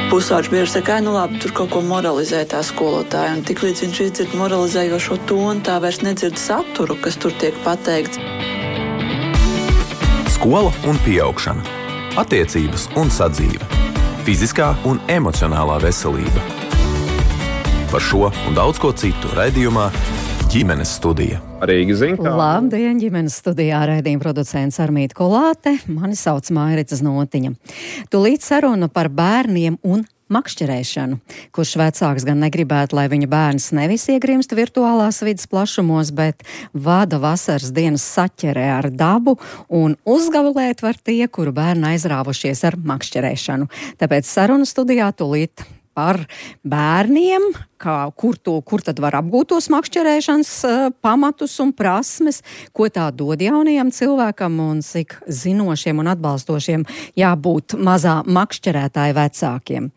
Pusauģis bieži saka, nu labi, tur kaut ko moralizē tā skolotāja, un tik līdz viņš izdzird moralizējošo tonu, tā vairs nedzird saturu, kas tur tiek pateikts. Skola un pieaugšana, attiecības un sadzīve, fiziskā un emocionālā veselība. Par šo un daudz ko citu raidījumā Ģimenes studija. Rīga zina. Labdien, ģimenes studijā raidījuma producents Armīta Kolāte, mani sauc Mairita Znotiņa. Tūlīt saruna par bērniem un makšķerēšanu, kurš vecāks gan negribētu, lai viņa bērns nevis iegrimst virtuālās vidas plašumos, bet vada vasaras dienas saķerē ar dabu un uzgavilēt var tie, kuru bērni aizrāvušies ar makšķerēšanu. Tāpēc saruna studijā tūlīt par bērniem, kur tad var apgūt tos makšķerēšanas pamatus un prasmes, ko tā dod jaunajam cilvēkam un cik zinošiem un atbalstošiem jābūt mazā makšķerētāja vecākiem.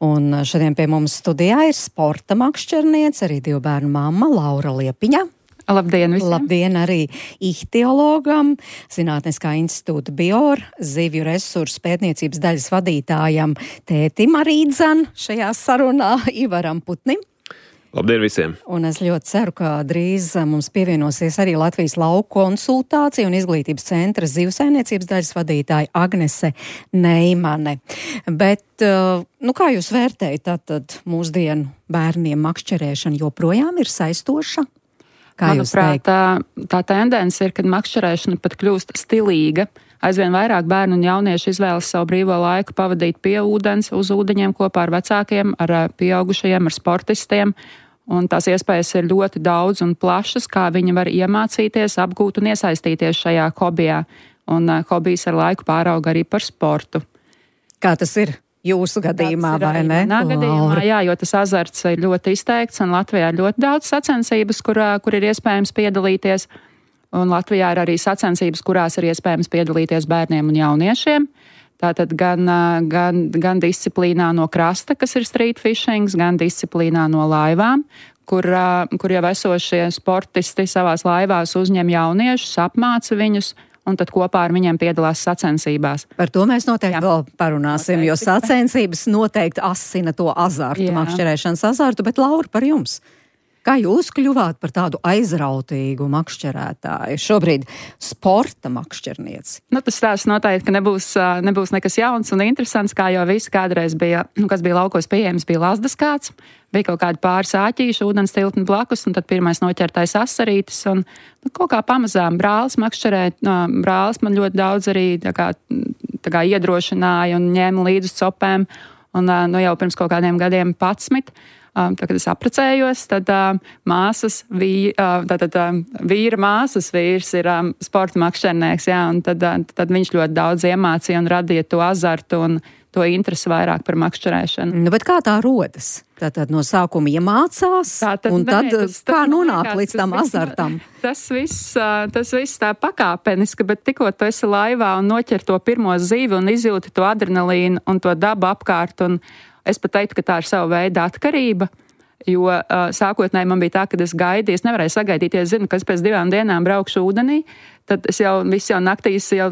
Un šodien pie mums studijā ir sporta makšķerniece, arī 2 bērnu mamma Laura Liepiņa. Labdien visiem! Labdien arī ihtiologam, Zinātniskā institūta BIOR, zivju resursu pētniecības daļas vadītājam tētim arī dzan šajā sarunā Ivaram Putnim. Labdien visiem! Un es ļoti ceru, ka drīz mums pievienosies arī Latvijas lauku konsultācija un izglītības centra zivsaimniecības daļas vadītāja Agnese Neimane. Bet, kā jūs vērtējat, tātad mūsdienu bērniem makšķerēšana joprojām ir saistoša? Manuprāt, tā tendence ir, kad makšķerēšana pat kļūst stilīga. Aizvien vairāk bērnu un jaunieši izvēlas savu brīvo laiku pavadīt pie ūdens, uz ūdeņiem kopā ar vecākiem, ar pieaugušajiem, ar sportistiem. Un tās iespējas ir ļoti daudz un plašas, kā viņi var iemācīties, apgūt un iesaistīties šajā hobijā. Un hobijs ar laiku pārauga arī par sportu. Kā tas ir? Jūsu gadījumā, vai ne? Manā gadījumā, jā, jo tas azarts ir ļoti izteikts, un Latvijā ir ļoti daudz sacensības, kur ir iespējams piedalīties. Un Latvijā ir arī sacensības, kurās ir iespējams piedalīties bērniem un jauniešiem. Tātad gan disciplīnā no krasta, kas ir street fishing, gan disciplīnā no laivām, kur jau esošie sportisti savās laivās uzņem jauniešus, apmāca viņus, un tad kopā ar viņiem piedalās sacensībās. Par to mēs noteikti vēl parunāsim, jo sacensības noteikti asina to azartu, makšķerēšanas azartu, bet Laura, par jums. Kā jūs kļuvāt par tādu aizrautīgu makšķerētāju? Šobrīd sporta makšķernieci. Tas stāsts noteikti, ka nebūs nekas jauns un interesants, kā jau visi kādreiz bija, kas bija laukos pieejams, bija lazdas kāds. Bija kaut kādi pāris āķīši, ūdens tiltni blakus, un tad pirmais noķertais asarītis, un kaut kā pamazām brālis makšķerēt. Brālis man ļoti daudz arī tā kā iedrošināja un ņēma līdz uz copēm, un jau pirms kaut kādiem gadiem 11. Tad, kad es apprecējos, tad vīra māsas vīrs ir sporta makšķernieks, un tad viņš ļoti daudz iemācīja un radīja to azartu un to interesi vairāk par makšķerēšanu. Bet kā tā rodas? Tātad no sākuma iemācās, un tad kā nonāk līdz tam azartam? Tas viss tā pakāpeniski, bet tikko tu esi laivā un noķer to pirmo zivi un izjūti to adrenalīnu un to dabu apkārt, un es pat teiktu, ka tā ir sava veida atkarība, jo sākotnēji man bija tā, ka es gaidīju, es nevarēju sagaidīt, ja es zinu, ka es pēc 2 dienām braukšu ūdenī, tad es jau naktīs jau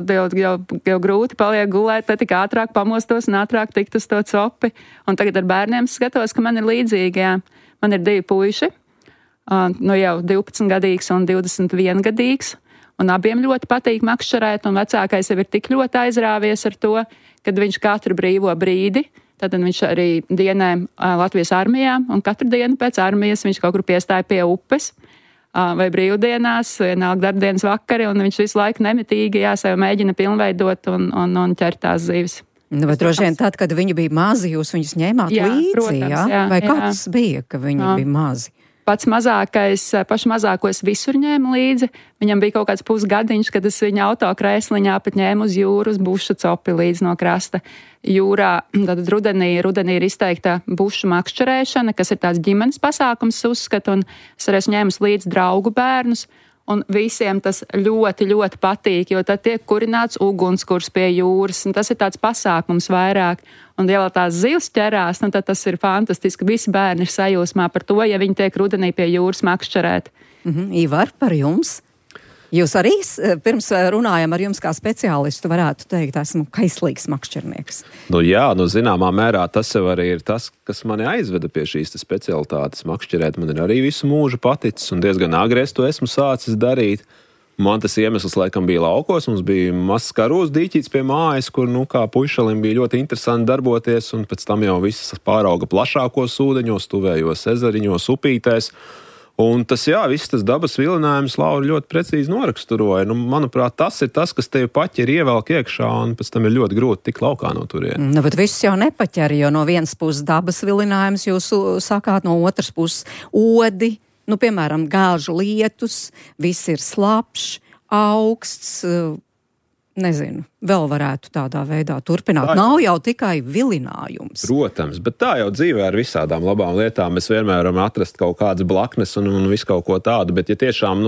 grūti paliek gulēt, tad tik ātrāk pamostos un ātrāk tikt uz to copi. Un tagad ar bērniem skatos, ka man ir līdzīgi, jā. Man ir 2 puiši, jau 12-gadīgs un 21-gadīgs, un abiem ļoti patīk makšķerēt, un vecākais jau ir tik ļoti aizrāvies ar to, kad viņš katru brīvo brīdi, tad viņš arī dienē Latvijas armijā, un katru dienu pēc armijas viņš kaut kur piestāja pie upes, vai brīvdienās, vienalga darbdienas vakari, un viņš visu laiku nemitīgi sev mēģina pilnveidot un ķert tās zivis. Bet droši vien tad, kad viņi bija mazi, jūs viņus ņēmāt līdzi, protams, jā? Vai kāds bija, ka viņi bija mazi? Pašu mazāko es visur ņēmu līdzi. Viņam bija kaut kāds pusgadiņš, kad es viņa autokrēsliņā pat ņēmu uz jūru, uz bušu copi līdz no krasta. Jūrā, tad rudenī ir izteikta bušu makšķerēšana, kas ir tāds ģimenes pasākums, uzskatu, un es arī esmu ņēmus līdz draugu bērnus. Un visiem tas ļoti, ļoti patīk, jo tad tiek kurināts ugunskurs pie jūras, un tas ir tāds pasākums vairāk. Un, ja vēl tās zivs ķerās, tad tas ir fantastiski. Visi bērni ir sajūsmā par to, ja viņi tiek rudenī pie jūras makšķerēt. Ivar, par jums? Jūs arī pirms runājam ar jums kā speciālistu varētu teikt, esmu kaislīgs makšķernieks. Zināmā mērā tas jau arī ir tas, kas mani aizveda pie šīs specialitātes makšķerēt. Man ir arī visu mūžu paticis un diezgan agri es to esmu sācis darīt. Man tas iemesls laikam bija laukos, mums bija mazs karūs dīķīts pie mājas, kur, kā puišalim bija ļoti interesanti darboties, un pēc tam jau viss pārauga plašākos ūdeņos, tuvējos ezeriņos, upītēs. Un viss tas dabas vilinājums Laura ļoti precīzi noraksturoja. Manuprāt, tas ir tas, kas tevi paķer ievelk iekšā, un pēc tam ir ļoti grūti tikt laukā no turienes. Bet viss jau nepaķer, jo no vienas puses dabas vilinājums jūs sakāt, no otras puses odi, piemēram, gāžu lietus, viss ir slapšs, augsts, nezinu, vēl varētu tādā veidā turpināt. Nav jau tikai vilinājums. Protams, bet tā jau dzīvē ar visādām labām lietām. Mēs vienmēr varam atrast kaut kādas blaknes un visu kaut ko tādu, bet ja tiešām,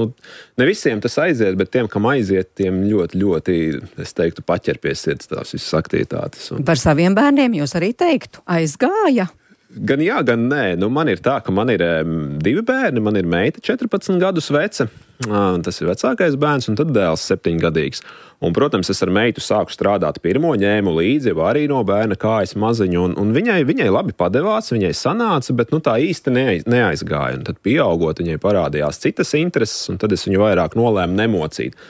ne visiem tas aiziet, bet tiem, kam aiziet, tiem ļoti, ļoti, es teiktu, paķer pie sirds tās visas aktivitātes. Par saviem bērniem jūs arī teiktu, aizgāja? Gan jā, gan nē. Man ir tā, ka man ir 2 bērni, man ir meita 14 gadus veca, tas ir vecākais bērns, un tad dēls 7-gadīgs. Un, protams, es ar meitu sāku strādāt pirmo, ņēmu līdzi, jau arī no bērna kājas maziņu, un viņai labi padevās, viņai sanāca, bet tā īsti neaizgāja. Un tad pieaugot, viņai parādījās citas intereses, un tad es viņu vairāk nolēmu nemocīt.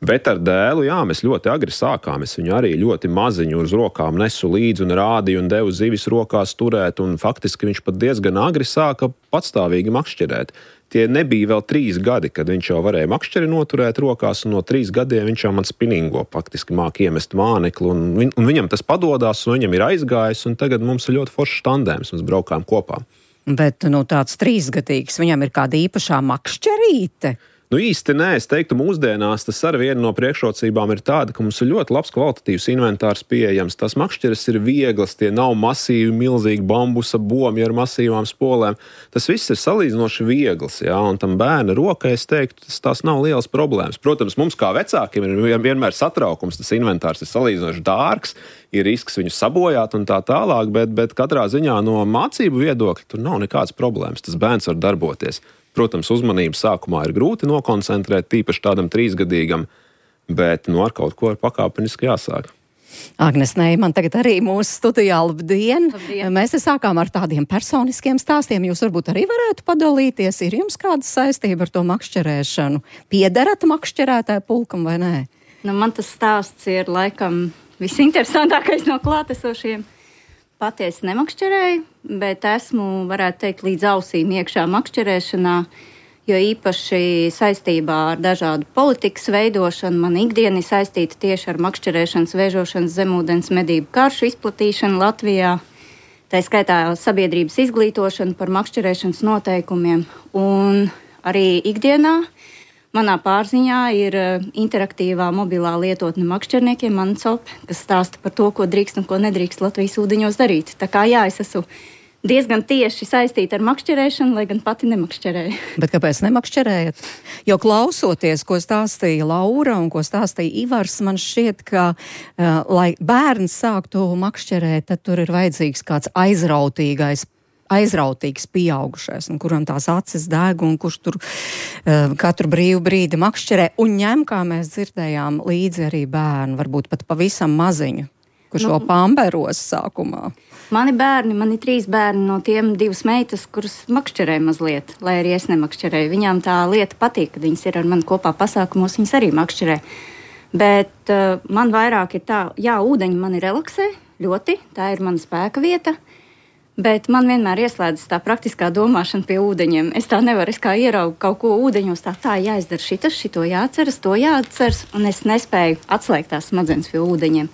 Bet ar dēlu, mēs ļoti agri sākām. Es viņu arī ļoti maziņu uz rokām nesu līdzi un rādīju un devu zivis rokās turēt, un faktiski viņš pat diezgan agri sāka patstāvīgi makšķerēt. Tie nebija vēl 3 gadi, kad viņš jau varēja makšķeri noturēt rokās, un no 3 gadiem viņš jau man spinningo, faktiski māk iemest mānekli, un viņam tas padodās, un viņam ir aizgājis, un tagad mums ir ļoti foršs tandēms, mēs braukām kopā. Bet, tāds 3-gadīgs, viņam ir kāda īpašā makšķerīte? Īsti nē, es teiktu, mūsdienās tas ar vienu no priekšrocībām ir tāda, ka mums ir ļoti labs kvalitatīvs inventārs pieejams. Tās makšķeres ir vieglas, tie nav masīvi, milzīgi bambusa bomi ar masīvām spolēm. Tas viss ir salīdzinoši viegls, un tam bērna rokai, es teiktu, tās nav liels problēmas. Protams, mums kā vecākiem ir vienmēr satraukums, tas inventārs ir salīdzinoši dārgs, ir risks viņu sabojāt un tā tālāk, bet katrā ziņā no mācību viedokļa tur nav nekādas problēmas. Tas bērns var darboties. Protams, uzmanību sākumā ir grūti nokoncentrēt, tīpaši tādam 3-gadīgam, bet ar kaut ko ir pakāpeniski jāsāk. Agnes Neiman tagad arī mūsu studijā. Labdien! Mēs sākām ar tādiem personiskiem stāstiem. Jūs varbūt arī varētu padalīties. Ir jums kāda saistība ar to makšķerēšanu? Piederat makšķerētāju pulkam vai nē? Man tas stāsts ir laikam visinteresantākais no klātesošiem. Patiesi nemakšķerēju, bet esmu, varētu teikt, līdz ausīm iekšā makšķerēšanā, jo īpaši saistībā ar dažādu politikas veidošanu man ikdiena ir saistīta tieši ar makšķerēšanas, vēžošanas, zemūdens medību karšu izplatīšanu Latvijā. Tā skaitā sabiedrības izglītošanu par makšķerēšanas noteikumiem. Un arī ikdienā manā pārziņā ir interaktīvā mobilā lietotne makšķerniekiem Mansop, kas stāsta par to, ko drīkst un ko nedrīkst Latvijas ūdeņos darīt. Tā kā es esmu diezgan tieši saistīta ar makšķerēšanu, lai gan pati nemakšķerēju. Bet kāpēc nemakšķerējat? Jo klausoties, ko stāstīja Laura un ko stāstīja Ivars, man šķiet, ka, lai bērns sāktu makšķerēt, tad tur ir vajadzīgs kāds aizrautīgs pieaugušais, un kuram tās acis deg, un kurš tur katru brīvu brīdi makšķerē, un ņem, kā mēs dzirdējām, līdzi arī bērnu, varbūt pat pavisam maziņu, kurš vēl pamperos sākumā. Mani 3 bērni, no tiem 2 meitas, kuras makšķerē mazliet, lai arī es nemakšķerēju. Viņām tā lieta patīk, kad viņas ir ar mani kopā pasākumos, viņas arī makšķerē. Bet man vairāk ir tā, ūdeņi mani relaksē ļoti, tā ir mana spēka vieta. Bet man vienmēr ieslēdzas tā praktiskā domāšana pie ūdeņiem. Es tā nevaru, es kā ieraugu kaut ko ūdeņos, tā jāizdara šito jāatceras, to jāatceras, un es nespēju atslēgt tās smadzenes pie ūdeņiem.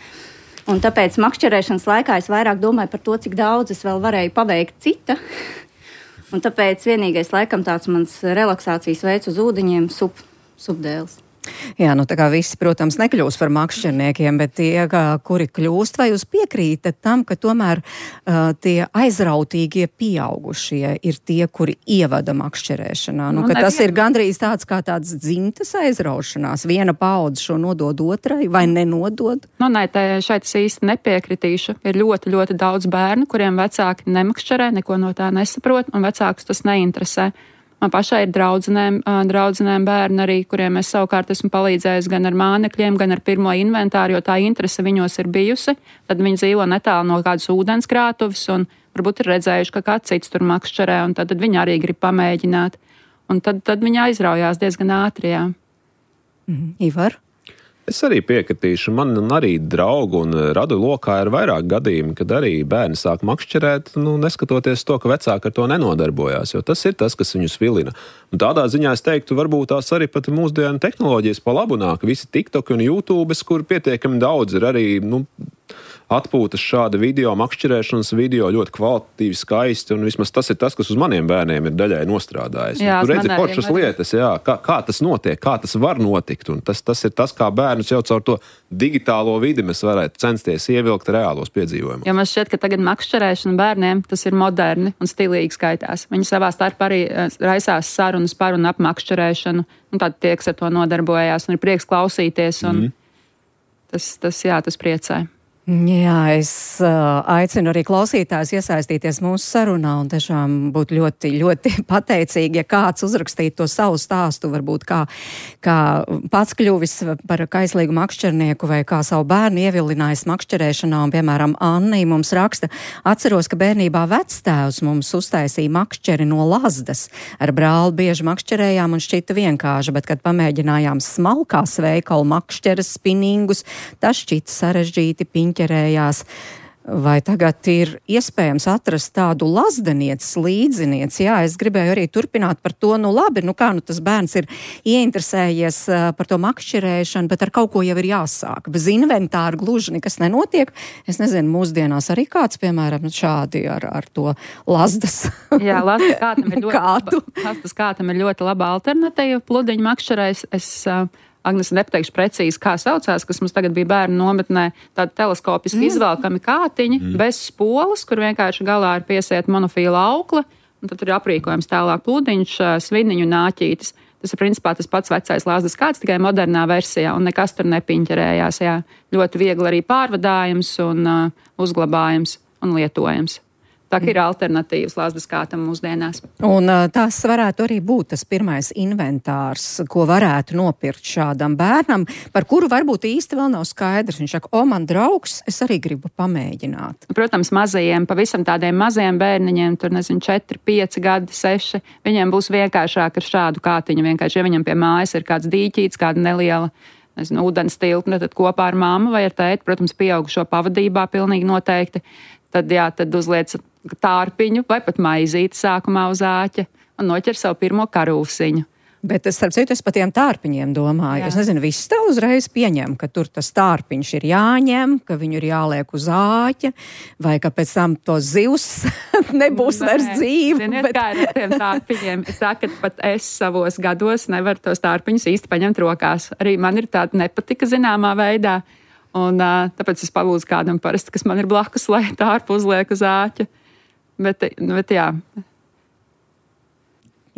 Un tāpēc makšķerēšanas laikā es vairāk domāju par to, cik daudz es vēl varēju paveikt cita. Un tāpēc vienīgais laikam tāds mans relaksācijas veids uz ūdeņiem supdēls. Jā, tā kā visi, protams, nekļūst par makšķerniekiem, bet tie, kuri kļūst, vai jūs piekrītat tam, ka tomēr tie aizrautīgie pieaugušie ir tie, kuri ievada makšķerēšanā? Ka tas ir gandrīz tāds kā tāds dzimtas aizraušanās. Viena paudze šo nodod otrai vai nenodod? Nē, šeit es īsti nepiekritīšu. Ir ļoti, ļoti daudz bērnu, kuriem vecāki nemakšķerē, neko no tā nesaprot, un vecākus tas neinteresē. Man pašai ir draudzenēm bērni arī, kuriem es savukārt esmu palīdzējis gan ar mānekļiem, gan ar pirmo inventāru, jo tā interese viņos ir bijusi. Tad viņi dzīvo netālu no kādas ūdenskrātuves un varbūt ir redzējuši, ka kāds cits tur makšķerē, un tad viņi arī grib pamēģināt. Un tad viņi aizraujās diezgan ātri, jā. Ivar? Es arī piekritīšu. Man arī draugu un radu lokā ir vairāk gadījumi, kad arī bērni sāk makšķerēt, neskatoties to, ka vecāki ar to nenodarbojās, jo tas ir tas, kas viņus vilina. Un tādā ziņā es teiktu, varbūt tās arī pat mūsdienu tehnoloģijas pa labu nāk. Visi TikTok un YouTube, kur pietiekami daudz ir arī, atpūtas šāda video, makšķerēšanas video, ļoti kvalitatīvi, skaisti, un vismaz tas ir tas, kas uz maniem bērniem ir daļai nostrādājis. Jā, tur redzi foršas lietas, jā, kā tas notiek, kā tas var notikt, un tas ir tas, kā bērnus jau caur to digitālo vidi mēs varētu censties ievilkt reālos piedzīvojumus. Jo man šķiet, ka tagad makšķerēšana bērniem tas ir moderni un stilīgi skaitās. Viņi savā starpā arī raisās sarunas par un ap makšķerēšanu, un tad tie, kas ar to nodarbojās, un ir prieks klausīties, un tas priecē. Jā, es aicinu arī klausītājus iesaistīties mūsu sarunā un tiešām būt ļoti, ļoti pateicīgi, ja kāds uzrakstītu to savu stāstu, varbūt kā pats kļuvis par kaislīgu makšķernieku vai kā savu bērnu ievilinājis makšķerēšanā, un, piemēram, Annī mums raksta, atceros, ka bērnībā vectēvs mums uztaisīja makšķeri no lazdas. Ar brāli bieži makšķerējām un šķita vienkārši, bet, kad pamēģinājām smalkās veikalu makšķeres, spinningus, tas šķita sarežģīti, ķerējās. Vai tagad ir iespējams atrast tādu lazdenieces līdzinieci? Jā, es gribēju arī turpināt par to, labi, tas bērns ir ieinteresējies par to makšķerēšanu, bet ar kaut ko jau ir jāsāk. Bez inventāra gluži nekas nenotiek. Es nezinu, mūsdienās arī kāds, piemēram, šādi ar to lazdas. Jā, lazdas kātam ir ļoti laba alternatīva. Pludiņu makšķerēs Agnes nepateikšu precīzi, kā saucās, kas mums tagad bija bērnu nometnē, tādi teleskopiski izvelkami kātiņi, bez spolas, kur vienkārši galā ir piesiet monofīla aukla, un tad tur ir aprīkojums tālāk pludiņš, sviniņu nāķītis. Tas ir principā tas pats vecais lazdas kāds, tikai modernā versijā, un nekas tur nepiņķerējās. Jā. Ļoti viegli arī pārvadājums un uzglabājums un lietojams. Tā ir alternatīvas lazdas kātam mūsdienās. Un tas varētu arī būt tas pirmais inventārs, ko varētu nopirkt šādam bērnam, par kuru varbūt īsti vēl nav skaidrs. Viņš saka, man draugs, es arī gribu pamēģināt. Protams, mazajiem, pavisam tādiem mazajiem bērniņiem, tur 4, 5 gadi, 6, viņiem būs vienkāršāk ar šādu kātiņu. Vienkārši, ja viņam pie mājas ir kāds dīķīts, kāda neliela ūdens tilpne, tad kopā ar mammu vai ar tēti, protams, pieaugušo pavadībā pilnīgi noteikti. Tad uzliec tārpiņu vai pat maizīti sākumā uz āķa un noķer savu pirmo karūsiņu. Bet starp citu, es par tiem tārpiņiem domāju. Jā. Es nezinu, viss tā uzreiz pieņem, ka tur tas tārpiņš ir jāņem, ka viņu ir jāliek uz āķa, vai ka pēc tam to zivs nebūs vairs dzīve. Ziniet, kā ir ar tiem tārpiņiem? Es tā, ka pat es savos gados nevaru tos tārpiņus īsti paņemt rokās. Arī man ir tāda nepatika zināmā veidā. Un tāpēc es palūdzu kādam parasti, kas man ir blakus, lai tārpu uzliek uz āķa. Bet jā.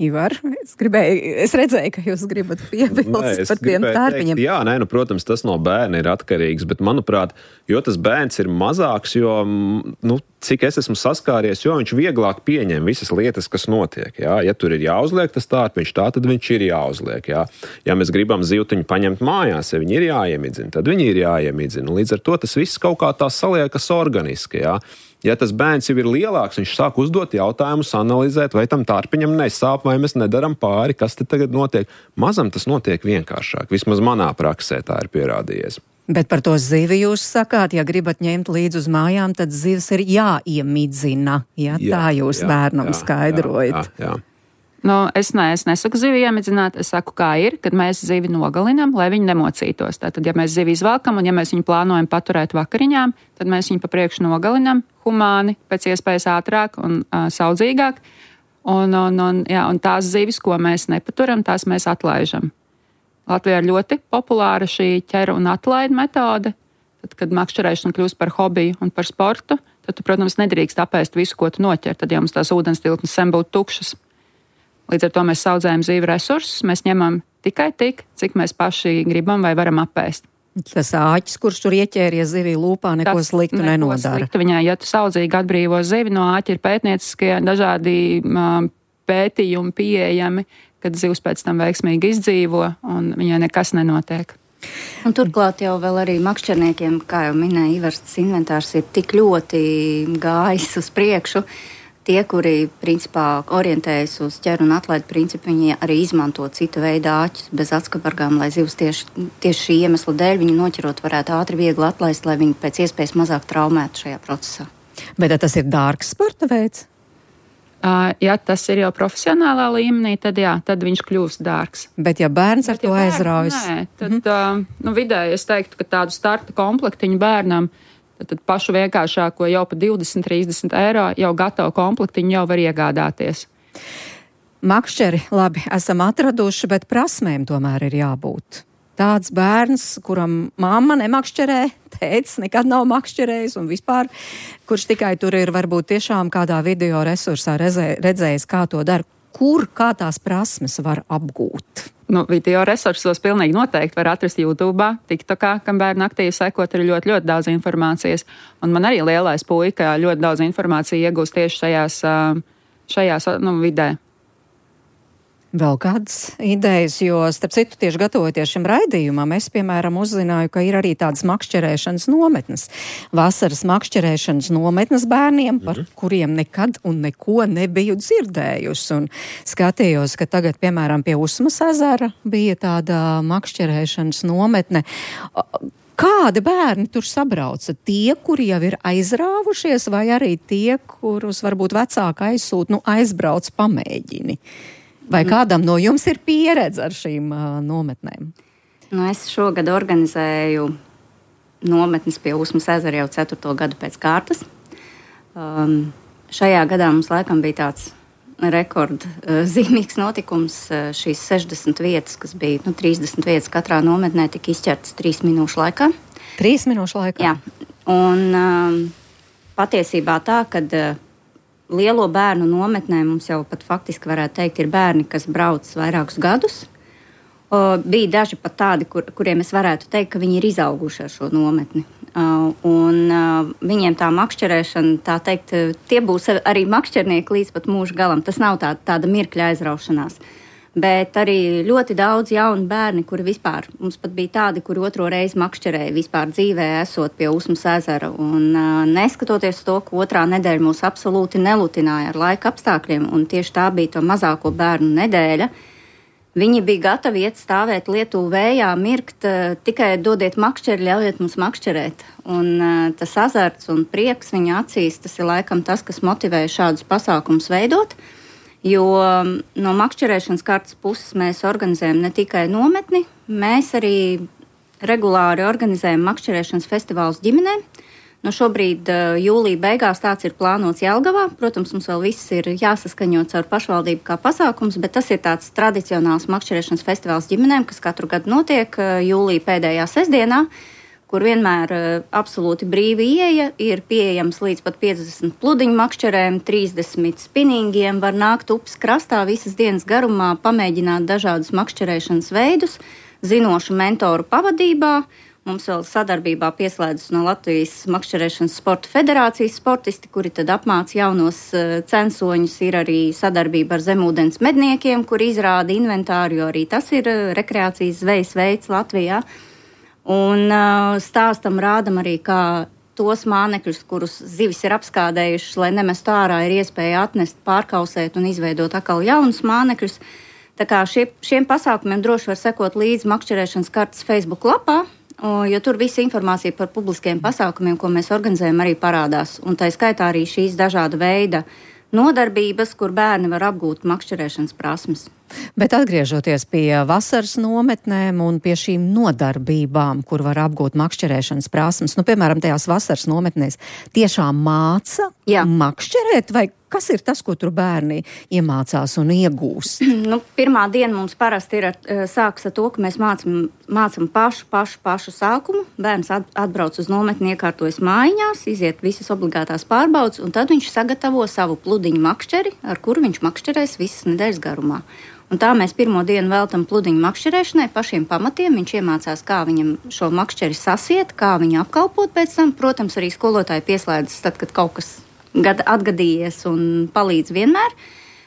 Ivar, es redzēju, ka jūs gribat piebilst par tiem tārpiņiem. Jā, protams, tas no bērna ir atkarīgs, bet manuprāt, jo tas bērns ir mazāks, jo, cik es esmu saskāries, jo viņš vieglāk pieņem visas lietas, kas notiek. Jā. Ja tur ir jāuzliek tas tārpiņš, tad viņš ir jāuzliek. Jā. Ja mēs gribam zivtiņu paņemt mājās, ja viņi ir jāiemidzina, tad viņi ir jāiemidzina. Līdz ar to tas viss kaut kā tā saliekas organiski. Jā. Ja tas bērns jau ir lielāks, viņš sāk uzdot jautājumus, analizēt, vai tam tārpiņam nesāp, vai mēs nedaram pāri, kas te tagad notiek. Mazam tas notiek vienkāršāk. Vismaz manā praksē tā ir pierādījies. Bet par to zivi jūs sakāt, ja gribat ņemt līdzi uz mājām, tad zivs ir jāiemidzina. Ja? Tā jūs bērnam skaidrojat. Jā. Es nesaku zivi iemidzināt, es saku, kā ir, kad mēs zivi nogalinam, lai viņi nemocītos. Tātad, ja mēs zivi izvelkam un ja mēs viņu plānojam paturēt vakariņām, tad mēs viņu pa priekšu nogalinam humāni, pēc iespējas ātrāk un saudzīgāk. Un tās zivis, ko mēs nepaturam, tās mēs atlaižam. Latvijā ir ļoti populāra šī ķera un atlaida metode. Tad, kad makšķerēšana kļūst par hobiju un par sportu, tad tu, protams, nedrīkst apēst visu, ko tu noķer. Tad jau mums tās ūdens tilpnes sen būtu tukšas. Līdz ar to mēs saudzējam zīvi resursus, mēs ņemam tikai tik, cik mēs paši gribam vai varam apēst. Tas āķis, kurš tur ieķēries zivī lūpā, neko sliktu nenodara. Sliktu viņai, ja tu saudzīgi atbrīvo zivi no āķa, ir pētnieciskie dažādi pētījumi pieejami, kad zivs pēc tam veiksmīgi izdzīvo un viņai nekas nenotiek. Un turklāt jau vēl arī makšķerniekiem, kā jau minēja Ivars, tas inventārs ir tik ļoti gājis uz priekšu. Tie, kuri principā orientējas uz ķer un atlaid principu, viņi arī izmanto citu veidu āķus bez atskabargām, lai zivs tieši šī iemesla dēļ viņu noķerot varētu ātri viegli atlaist, lai viņi pēc iespējas mazāk traumētu šajā procesā. Bet tas ir dārgs sporta veids? Ja tas ir jau profesionālā līmenī, tad viņš kļūst dārgs. Bet ja bērns ar to aizraujas? Nē, tad vidēji es teiktu, ka tādu starta komplektiņu bērnam, tad pašu vienkāršāko jau pa 20-30 eiro jau gatavu komplektiņu jau var iegādāties. Makšķeri, labi, esam atraduši, bet prasmēm tomēr ir jābūt. Tāds bērns, kuram mamma nemakšķerē, tētis nekad nav makšķerējis un vispār, kurš tikai tur ir varbūt tiešām kādā video resursā redzējis, kā to dara, kā tās prasmes var apgūt. Video resursos pilnīgi noteikti var atrast YouTube, TikTokā, kam bērni aktīvi sekot, ir ļoti, ļoti daudz informācijas. Un man arī lielais puika ļoti daudz informāciju iegūst tieši šajās vidē. Vēl kādas idejas, jo, starp citu, tieši gatavoties šim raidījumam, es, piemēram, uzzināju, ka ir arī tādas makšķerēšanas nometnes. Vasaras makšķerēšanas nometnes bērniem, par kuriem nekad un neko nebiju dzirdējusi. Un skatījos, ka tagad, piemēram, pie Usmas ezera bija tāda makšķerēšanas nometne. Kādi bērni tur sabrauca? Tie, kuri jau ir aizrāvušies, vai arī tie, kurus varbūt vecāki aizbrauc pamēģini? Vai kādam no jums ir pieredze ar šīm nometnēm? Es šogad organizēju nometnes pie Usmas ezera jau 4. gadu pēc kārtas. Šajā gadā mums laikam bija tāds rekordzīmīgs notikums. Šīs 60 vietas, kas bija 30 vietas katrā nometnē, tika izķertas 3 minūšu laikā. 3 minūšu laikā? Jā. Un patiesībā tā, kad lielo bērnu nometnē mums jau pat faktiski varētu teikt, ir bērni, kas brauc vairākus gadus. Bija daži pat tādi, kuriem es varētu teikt, ka viņi ir izauguši ar šo nometni. Un viņiem tā makšķerēšana, tā teikt, tie būs arī makšķernieki līdz pat mūža galam. Tas nav tāda mirkļa aizraušanās. Bet arī ļoti daudz jaunu bērni, kuri vispār, mums pat bija tādi, kuri 2. reizi makšķerēja vispār dzīvē, esot pie Usmas ezera. Un neskatoties to, ka 2. nedēļa mūs absolūti nelutināja ar laika apstākļiem, un tieši tā bija to mazāko bērnu nedēļa, viņi bija gatavi iet stāvēt lietu vējā, mirkt, tikai dodiet makšķeri, ļaujiet mums makšķerēt. Un tas azarts un prieks viņa acīs, tas ir laikam tas, kas motivē šādus pasākumus veidot. Jo no makšķerēšanas kartas puses mēs organizējam ne tikai nometni, mēs arī regulāri organizējam makšķerēšanas festivālus ģimenēm. Šobrīd jūlija beigās tāds ir plānots Jelgavā. Protams, mums vēl viss ir jāsaskaņo caur pašvaldību kā pasākums, bet tas ir tāds tradicionāls makšķerēšanas festivāls ģimenēm, kas katru gadu notiek jūlija pēdējā sestdienā, kur vienmēr absolūti brīva ieeja, ir pieejams līdz pat 50 pludiņu makšķerēm, 30 spinningiem, var nākt upes krastā visas dienas garumā, pamēģināt dažādus makšķerēšanas veidus, zinošu mentoru pavadībā. Mums vēl sadarbībā pieslēdzas no Latvijas makšķerēšanas sporta federācijas sportisti, kuri tad apmāca jaunos censoņus, ir arī sadarbība ar zemūdens medniekiem, kur izrāda inventāru, jo arī tas ir rekreācijas zvejas veids Latvijā. Un stāstam rādam arī, kā tos mānekļus, kurus zivis ir apskādējušas, lai nemestu ārā, ir iespēja atnest, pārkausēt un izveidot atkal jaunus mānekļus. Tā kā šiem pasākumiem droši var sekot līdzi makšķerēšanas kartas Facebook lapā, jo tur visa informācija par publiskiem pasākumiem, ko mēs organizējam, arī parādās. Un tā skaitā arī šīs dažāda veida nodarbības, kur bērni var apgūt makšķerēšanas prasmes. Bet atgriežoties pie vasaras nometnēm un pie šīm nodarbībām, kur var apgūt makšķerēšanas prasmes, piemēram, tajās vasaras nometnēs tiešām māca makšķerēt, vai kas ir tas, ko tur bērni iemācās un iegūst? Pirmā diena mums parasti sākas ar to, ka mēs mācam pašu sākumu. Bērns atbrauc uz nometni, iekārtojas mājiņās, iziet visas obligātās pārbaudes, un tad viņš sagatavo savu pludiņu makšķeri, ar kuru viņš makšķerēs visas nedēļas garumā. Un tā mēs pirmo dienu veltam pludiņu makšķerēšanai, pašiem pamatiem. Viņš iemācās, kā viņam šo makšķeri sasiet, kā viņu apkalpot pēc tam. Protams, arī skolotāji pieslēdzas tad, kad kaut kas atgadījies un palīdz vienmēr.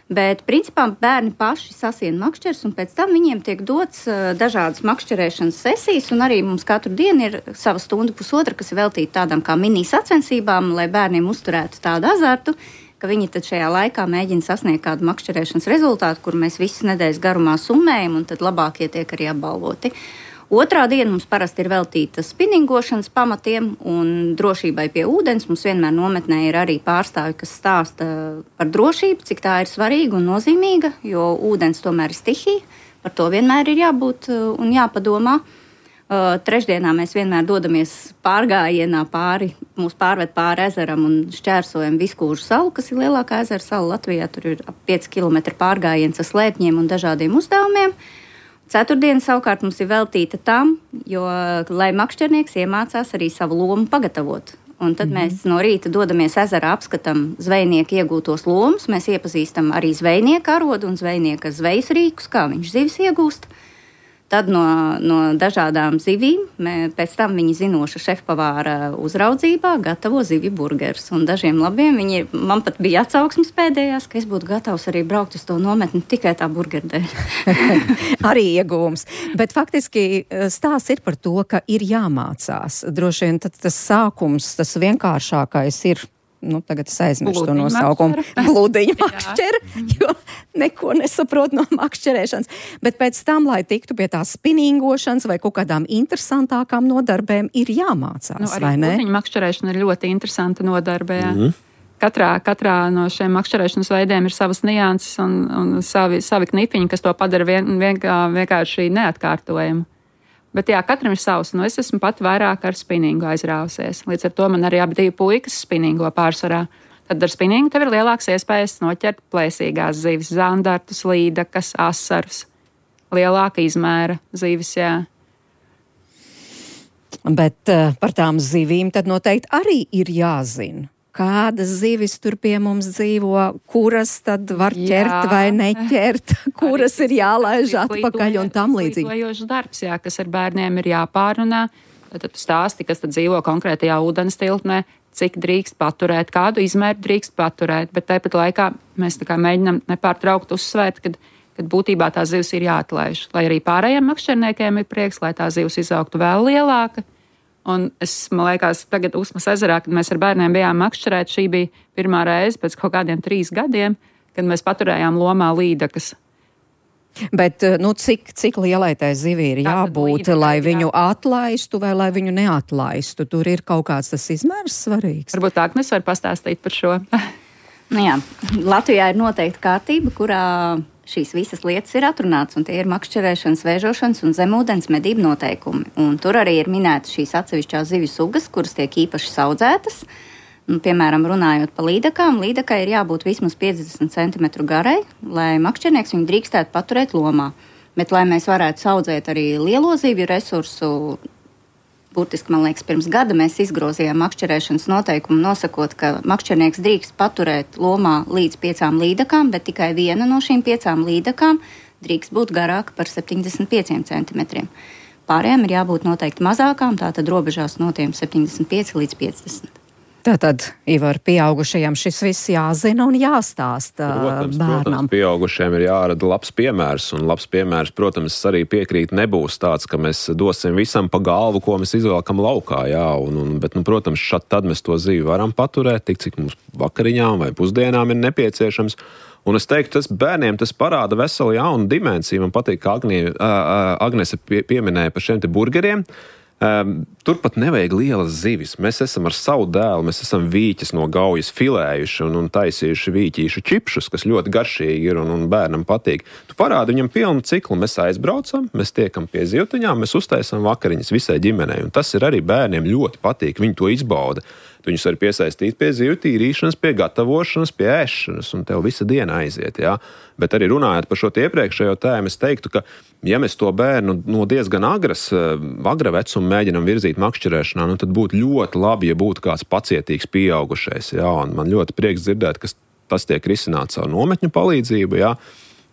Bet, principā, bērni paši sasien makšķers, un pēc tam viņiem tiek dots dažādas makšķerēšanas sesijas, un arī mums katru dienu ir sava stunda pusotra, kas ir veltīta tādām kā mini sacensībām, lai bērniem uzturētu tādu azartu, ka viņi tad šajā laikā mēģina sasniegt kādu makšķerēšanas rezultātu, kur mēs visas nedēļas garumā summējam, un tad labākie tiek arī apbalvoti. Otrā diena mums parasti ir veltīta spinningošanas pamatiem un drošībai pie ūdens. Mums vienmēr nometnē ir arī pārstāvi, kas stāsta par drošību, cik tā ir svarīga un nozīmīga, jo ūdens tomēr ir stihija. Par to vienmēr ir jābūt un jāpadomā. Trešdienā mēs vienmēr dodamies pārgājienā mūs pārved pāri ezeram un šķērsojam Viskūžu salu, kas ir lielākā ezera sala Latvijā. Tur ir ap 5 km pārgājiens ar slēpņiem un dažādiem uzdevumiem. Ceturtdiena savukārt mums ir veltīta tam, lai makšķernieks iemācās arī savu lomu pagatavot. Un tad mēs no rīta dodamies ezerā, apskatām zvejnieku iegūtos lomus, mēs iepazīstam arī zvejnieka arodu un zvejnieka zvejas rīkus, kā viņš zivis iegūst. Tad no dažādām zivīm, pēc tam viņi zinoša šefpavāra uzraudzībā gatavo zivju burgerus. Un dažiem labiem man pat bija atsauksmes pēdējās, ka es būtu gatavs arī braukt uz to nometni tikai tā burgeru dēļ. Arī iegūms. Bet faktiski stāsts ir par to, ka ir jāmācās. Droši vien tas sākums, tas vienkāršākais ir. Tagad es aizmirstu to nosaukumu. Blūdiņa makšķera, jo neko nesaprot no makšķerēšanas. Bet pēc tam, lai tiktu pie tās spinningošanas vai kaut kādām interesantākām nodarbēm, ir jāmācās, vai ne? Blūdiņa makšķerēšana ir ļoti interesanta nodarbē. Katrā no šiem makšķerēšanas veidiem ir savas nianses un savi knipiņi, kas to padara vienkārši neatkārtojumu. Bet jā, katram ir savs. Es esmu pat vairāk ar spinningu aizrāvusies. Līdz ar to man arī abi divi puikas spinningo pārsvarā. Tad ar spinningu tev ir lielāks iespējas noķert plēsīgās zivis, zandartus, līdakas, asarus. Lielāka izmēra zivis, jā. Bet par tām zivīm tad noteikti arī ir jāzina. Kādas zivis tur pie mums dzīvo, kuras tad var ķert vai neķert, kuras ir jālaiž atpakaļ un tam līdzīgi. Izglītojošs darbs, jā, kas ar bērniem ir jāpārunā. Tad tu stāsti, kas tad dzīvo konkrētajā ūdens tilpnē, cik drīkst paturēt, kādu izmēru drīkst paturēt, bet tāpat laikā mēs tā kā mēģinam nepārtraukt uzsvērt, kad būtībā tā zivs ir jāatlaiž. Lai arī pārējiem makšķerniekiem ir prieks, lai tā zivs izaugtu vēl lielāka. Un man liekas, tagad Usmas ezerā, kad mēs ar bērniem bijām makšķerēt, šī bija pirmā reize pēc kaut kādiem 3 gadiem, kad mēs paturējām lomā līdakas. Bet, cik lielai tai zivī ir jābūt, lai viņu atlaistu vai lai viņu neatlaistu? Tur ir kaut kāds tas izmērs svarīgs. Varbūt Agnes var pastāstīt par šo. Latvijā ir noteikta kārtība, kurā šīs visas lietas ir atrunāts, un tie ir makšķerēšanas, vēžošanas un zemūdens medību noteikumi. Un tur arī ir minētas šīs atsevišķās zivju sugas, kuras tiek īpaši saudzētas. Piemēram, runājot par līdakām, līdakai ir jābūt vismaz 50 cm garai, lai makšķernieks viņu drīkstētu paturēt lomā. Bet, lai mēs varētu saudzēt arī lielo zivju resursu, burtiski, man liekas, pirms gada mēs izgrozījām makšķerēšanas noteikumu, nosakot, ka makšķernieks drīkst paturēt lomā līdz 5 līdakām, bet tikai viena no šīm 5 līdakām drīkst būt garāka par 75 cm. Pārējām ir jābūt noteikti mazākām, tātad robežās no tiem 75 līdz 50. Tātad, Ivar, pieaugušajiem šis viss jāzina un jāstāsta bērnam. Protams, pieaugušajiem ir jārada labs piemērs, un labs piemērs, protams, arī piekrīt nebūs tāds, ka mēs dosim visam pa galvu, ko mēs izvēlkam laukā, jā, bet, protams, tad mēs to zivi varam paturēt, tik cik mums vakariņām vai pusdienām ir nepieciešams. Un es teiktu, tas bērniem tas parāda veselu jaunu dimensiju. Man patīk, ka Agnese pieminēja par šiem te burgeriem. Turpat nevajag lielas zivis. Mēs esam ar savu dēlu, mēs esam vīķes no gaujas filējuši un taisījuši vīķīšu čipšus, kas ļoti garšīgi ir un bērnam patīk. Tu parādi viņam pilnu ciklu. Mēs aizbraucam, mēs tiekam pie zivtiņām, mēs uztaisam vakariņas visai ģimenei. Un tas ir arī bērniem ļoti patīk, viņi to izbauda. Tu viņus var piesaistīt pie zivju tīrīšanas, pie gatavošanas, pie ēšanas, un tev visa diena aiziet, jā. Bet arī runājot par šo iepriekšējo tēmu, es teiktu, ka ja mēs to bērnu no diezgan agra vecuma mēģinam virzīt makšķerēšanā, tad būtu ļoti labi, ja būtu kāds pacietīgs pieaugušais, jā. Un man ļoti prieks dzirdēt, ka tas tiek risināts ar nometņu palīdzību, jā.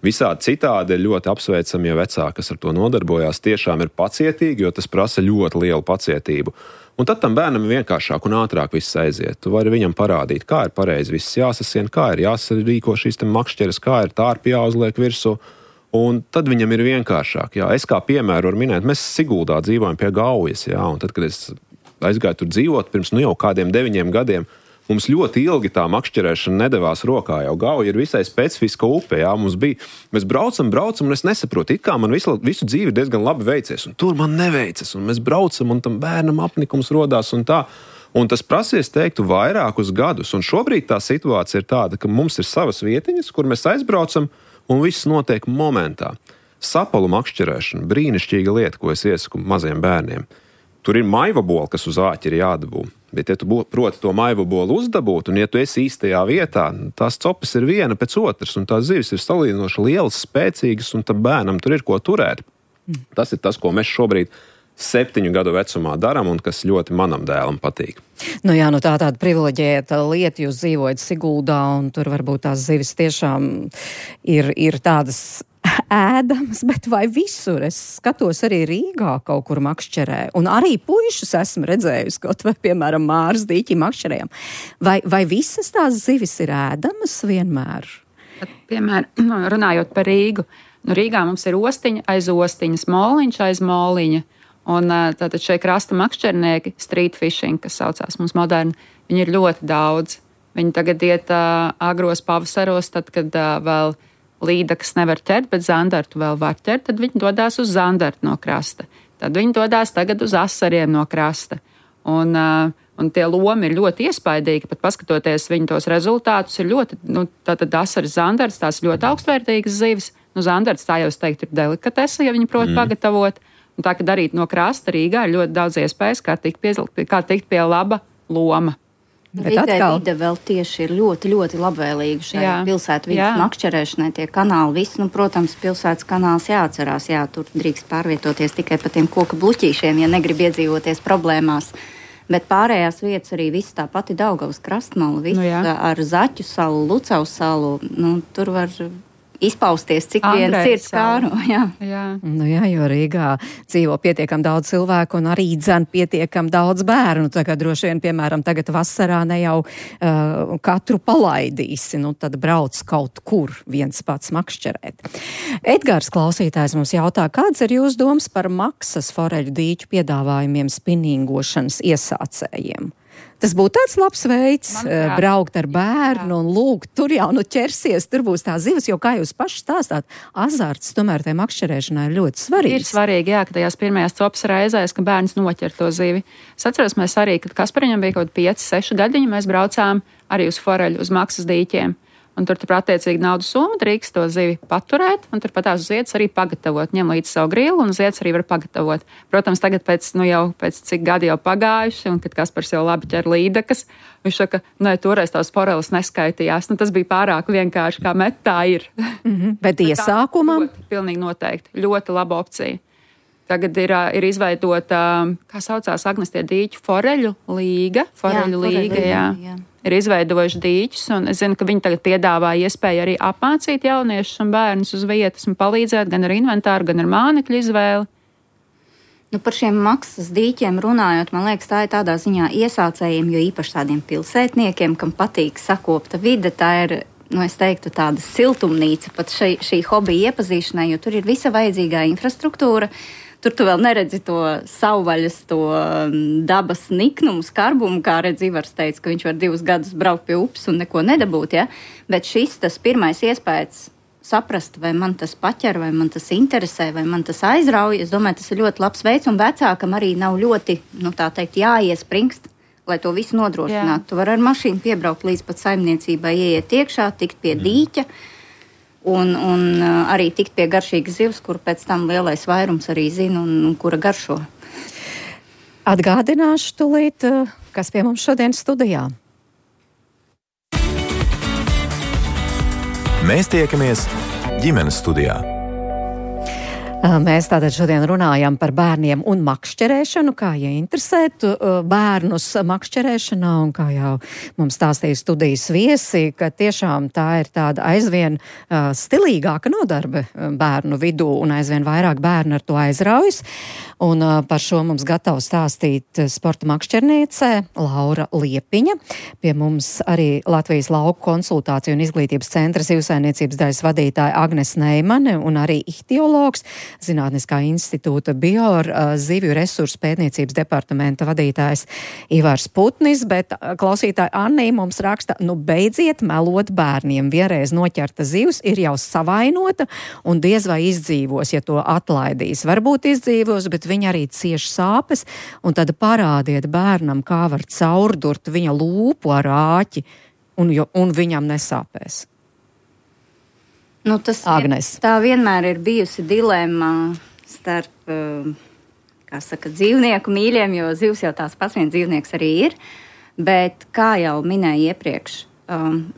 Visādi citādi ir ļoti apsveicami, ja vecāki, kas ar to nodarbojās, tiešām ir pacietīgi, jo tas prasa ļoti lielu pacietību. Un tad tam bērnam vienkāršāk un ātrāk viss aiziet. Tu vari viņam parādīt, kā ir pareizi viss jāsasien, kā ir jāsarīko šīs makšķeres, kā ir tārpi jāuzliek virsū. Un tad viņam ir vienkāršāk. Jā. Es kā piemēru varu minēt, mēs Siguldā dzīvojam pie Gaujas. Jā, un tad, kad es aizgāju tur dzīvot, pirms jau kādiem 9 gadiem, mums ļoti ilgi tā makšķerēšana nedavās rokā. Jau Gauja ir visai specifiska upe. Jā. Mēs braucam, un es nesaprotu, it kā man visu dzīvi diezgan labi veicies, un tur man neveicas. Un mēs braucam, un tam bērnam apnikums rodās un tā. Un tas prasies, teiktu, vairākus gadus. Un šobrīd tā situācija ir tāda, ka mums ir savas vietiņas, kur mēs aizbraucam, un viss notiek momentā. Sapalu makšķerēšana, brīnišķīga lieta, ko es iesaku maziem bērniem. Tur ir maivabola, kas uz āķi ir jādabū. Bet, ja tu proti to maivabolu uzdabūt, un ja tu esi īstajā vietā, tās copas ir viena pēc otras, un tās zivis ir salīdzinoši lielas, spēcīgas, un tam bērnam tur ir ko turēt. Tas ir tas, ko mēs šobrīd 7 gadu vecumā darām, un kas ļoti manam dēlam patīk. Nu jā, tāda privileģēta lieta, jūs dzīvojat Siguldā, un tur varbūt tās zivis tiešām ir tādas ēdamas, bet vai visur? Es skatos arī Rīgā kaut kur makšķerē, un arī puišus esmu redzējusi, kaut vai, piemēram, Māras dīķi makšķerējam. Vai visas tās zivis ir ēdamas vienmēr? Piemēram, runājot par Rīgu, Rīgā mums ir ostiņa aiz ostiņas, moliņš aiz moliņa, un tātad šie krasta makšķernieki, street fishing, kas saucās mums moderni, viņi ir ļoti daudz. Viņi tagad iet agros pavasaros, tad, kad vēl līdakas nevar ķert, bet zandartu vēl var ķert, tad viņi dodās uz zandartu no krasta. Tad viņi dodās tagad uz asariem no krasta. Un tie lomi ir ļoti iespaidīgi, pat paskatoties viņu tos rezultātus, ir ļoti, tātad asaris zandarts, tās ļoti augstvērtīgas zivis. Zandarts, tā jau es teiktu, ir delikatese, ja viņi prot pagatavot. Un tā, kad arī no krasta Rīgā ir ļoti daudz iespējas, kā tikt pie laba loma. Vide vēl tieši ir ļoti, ļoti labvēlīga šai pilsētvidas makšķerēšanai, tie kanāli, viss, protams, pilsētas kanāls jāatcerās, tur drīkst pārvietoties tikai pa tiem koku bluķīšiem, ja negrib iedzīvoties problēmās, bet pārējās vietas arī viss tā pati Daugavas krastmala, viss ar Zaķu salu, Lucavas salu, tur var izpausties, cik vien sirds kāro. Jā, jo Rīgā dzīvo pietiekam daudz cilvēku un arī dzen pietiekam daudz bērnu. Tagad droši vien, piemēram, tagad vasarā ne jau katru palaidīsi, tad brauc kaut kur viens pats makšķerēt. Edgars klausītājs mums jautā, kāds ir jūsu domas par maksas foreļu dīķu piedāvājumiem spinningošanas iesācējiem? Tas būtu tāds labs veids, braukt ar bērnu un lūgt, tur jau ķersies, tur būs tā zivis, jo, kā jūs paši stāstāt, azarts tomēr tai makšķerēšanai ir ļoti svarīgs. Ir svarīgi, ka tajās pirmajās copas reizēs, ka bērns noķer to zivi. Es atceros, mēs arī, kad Kaspariņam bija kaut 5-6 gadiņi, mēs braucām arī uz foreļu, uz maksas dīķiem. Un tur attiecīgi naudas summa drīkst to zivi paturēt, un tur patās uz vietas arī pagatavot. Ņem līdz savu grilu, un uz vietas arī var pagatavot. Protams, tagad pēc cik gadi jau pagājuši, un kad Kaspars jau labi ķer līdakas, viņš saka, toreiz tās foreles neskaitījās. Tas bija pārāk vienkārši, kā met, tā ir. Bet iesākumam? Pilnīgi noteikti. Ļoti laba opcija. Tagad ir izveidota, kā saucās Agnes tie dīķu, foreļu līga. Foreļu līga, jā. Ir izveidojuši dīķus, un es zinu, ka viņi tagad piedāvā iespēju arī apmācīt jauniešus un bērnus uz vietas un palīdzēt gan ar inventāru, gan ar mānekļu izvēli. Par šiem maksas dīķiem runājot, man liekas, tā ir tādā ziņā iesācējiem, jo īpaši tādiem pilsētniekiem, kam patīk sakopta vide, tā ir, es teiktu, tāda siltumnīca pat šī hobija iepazīšanai, jo tur ir visa vajadzīgā infrastruktūra. Tur tu vēl neredzi to savvaļas, to dabas niknumu, skarbumu, kā redz Ivars teica, ka viņš var 2 gadus braukt pie upes un neko nedabūt, Bet tas pirmais iespējas saprast, vai man tas paķer, vai man tas interesē, vai man tas aizrauj, es domāju, tas ir ļoti labs veids, un vecākam arī nav ļoti, jāiespringst, lai to visu nodrošinātu. Tu vari ar mašīnu piebraukt līdz pat saimniecībai, ieiet iekšā, tikt pie dīķa, un arī tikt pie garšīgas zivs, kur pēc tam lielais vairums arī zina un kura garšo. Atgādināšu tūlīt, kas pie mums šodien studijā. Mēs tiekamies ģimenes studijā. Mēs tātad šodien runājam par bērniem un makšķerēšanu, kā ieinteresēt bērnus makšķerēšanā, un kā jau mums stāstīja studijas viesi, ka tiešām tā ir tāda aizvien stilīgāka nodarbe bērnu vidū, un aizvien vairāk bērnu ar to aizraujas. Un par šo mums gatava stāstīt sporta makšķerniece Laura Liepiņa. Pie mums arī Latvijas lauku konsultāciju un izglītības centra zivsaimniecības daļas vadītāja Agnes Neimane un arī ihtiologs, Zinātniskā institūta zivju resursu pētniecības departamenta vadītājs Ivars Putnis, bet klausītāja Annī mums raksta, beidziet melot bērniem, vienreiz noķerta zivs ir jau savainota un diez vai izdzīvos, ja to atlaidīs. Varbūt izdzīvos, bet viņa arī cieš sāpes, un tad parādiet bērnam, kā var caurdurt viņa lūpu ar āķi, un viņam nesāpēs. Agnes. Tā vienmēr ir bijusi dilemma starp, dzīvnieku mīļiem, jo zivs jau tās pats viens dzīvnieks arī ir, bet, kā jau minēju iepriekš,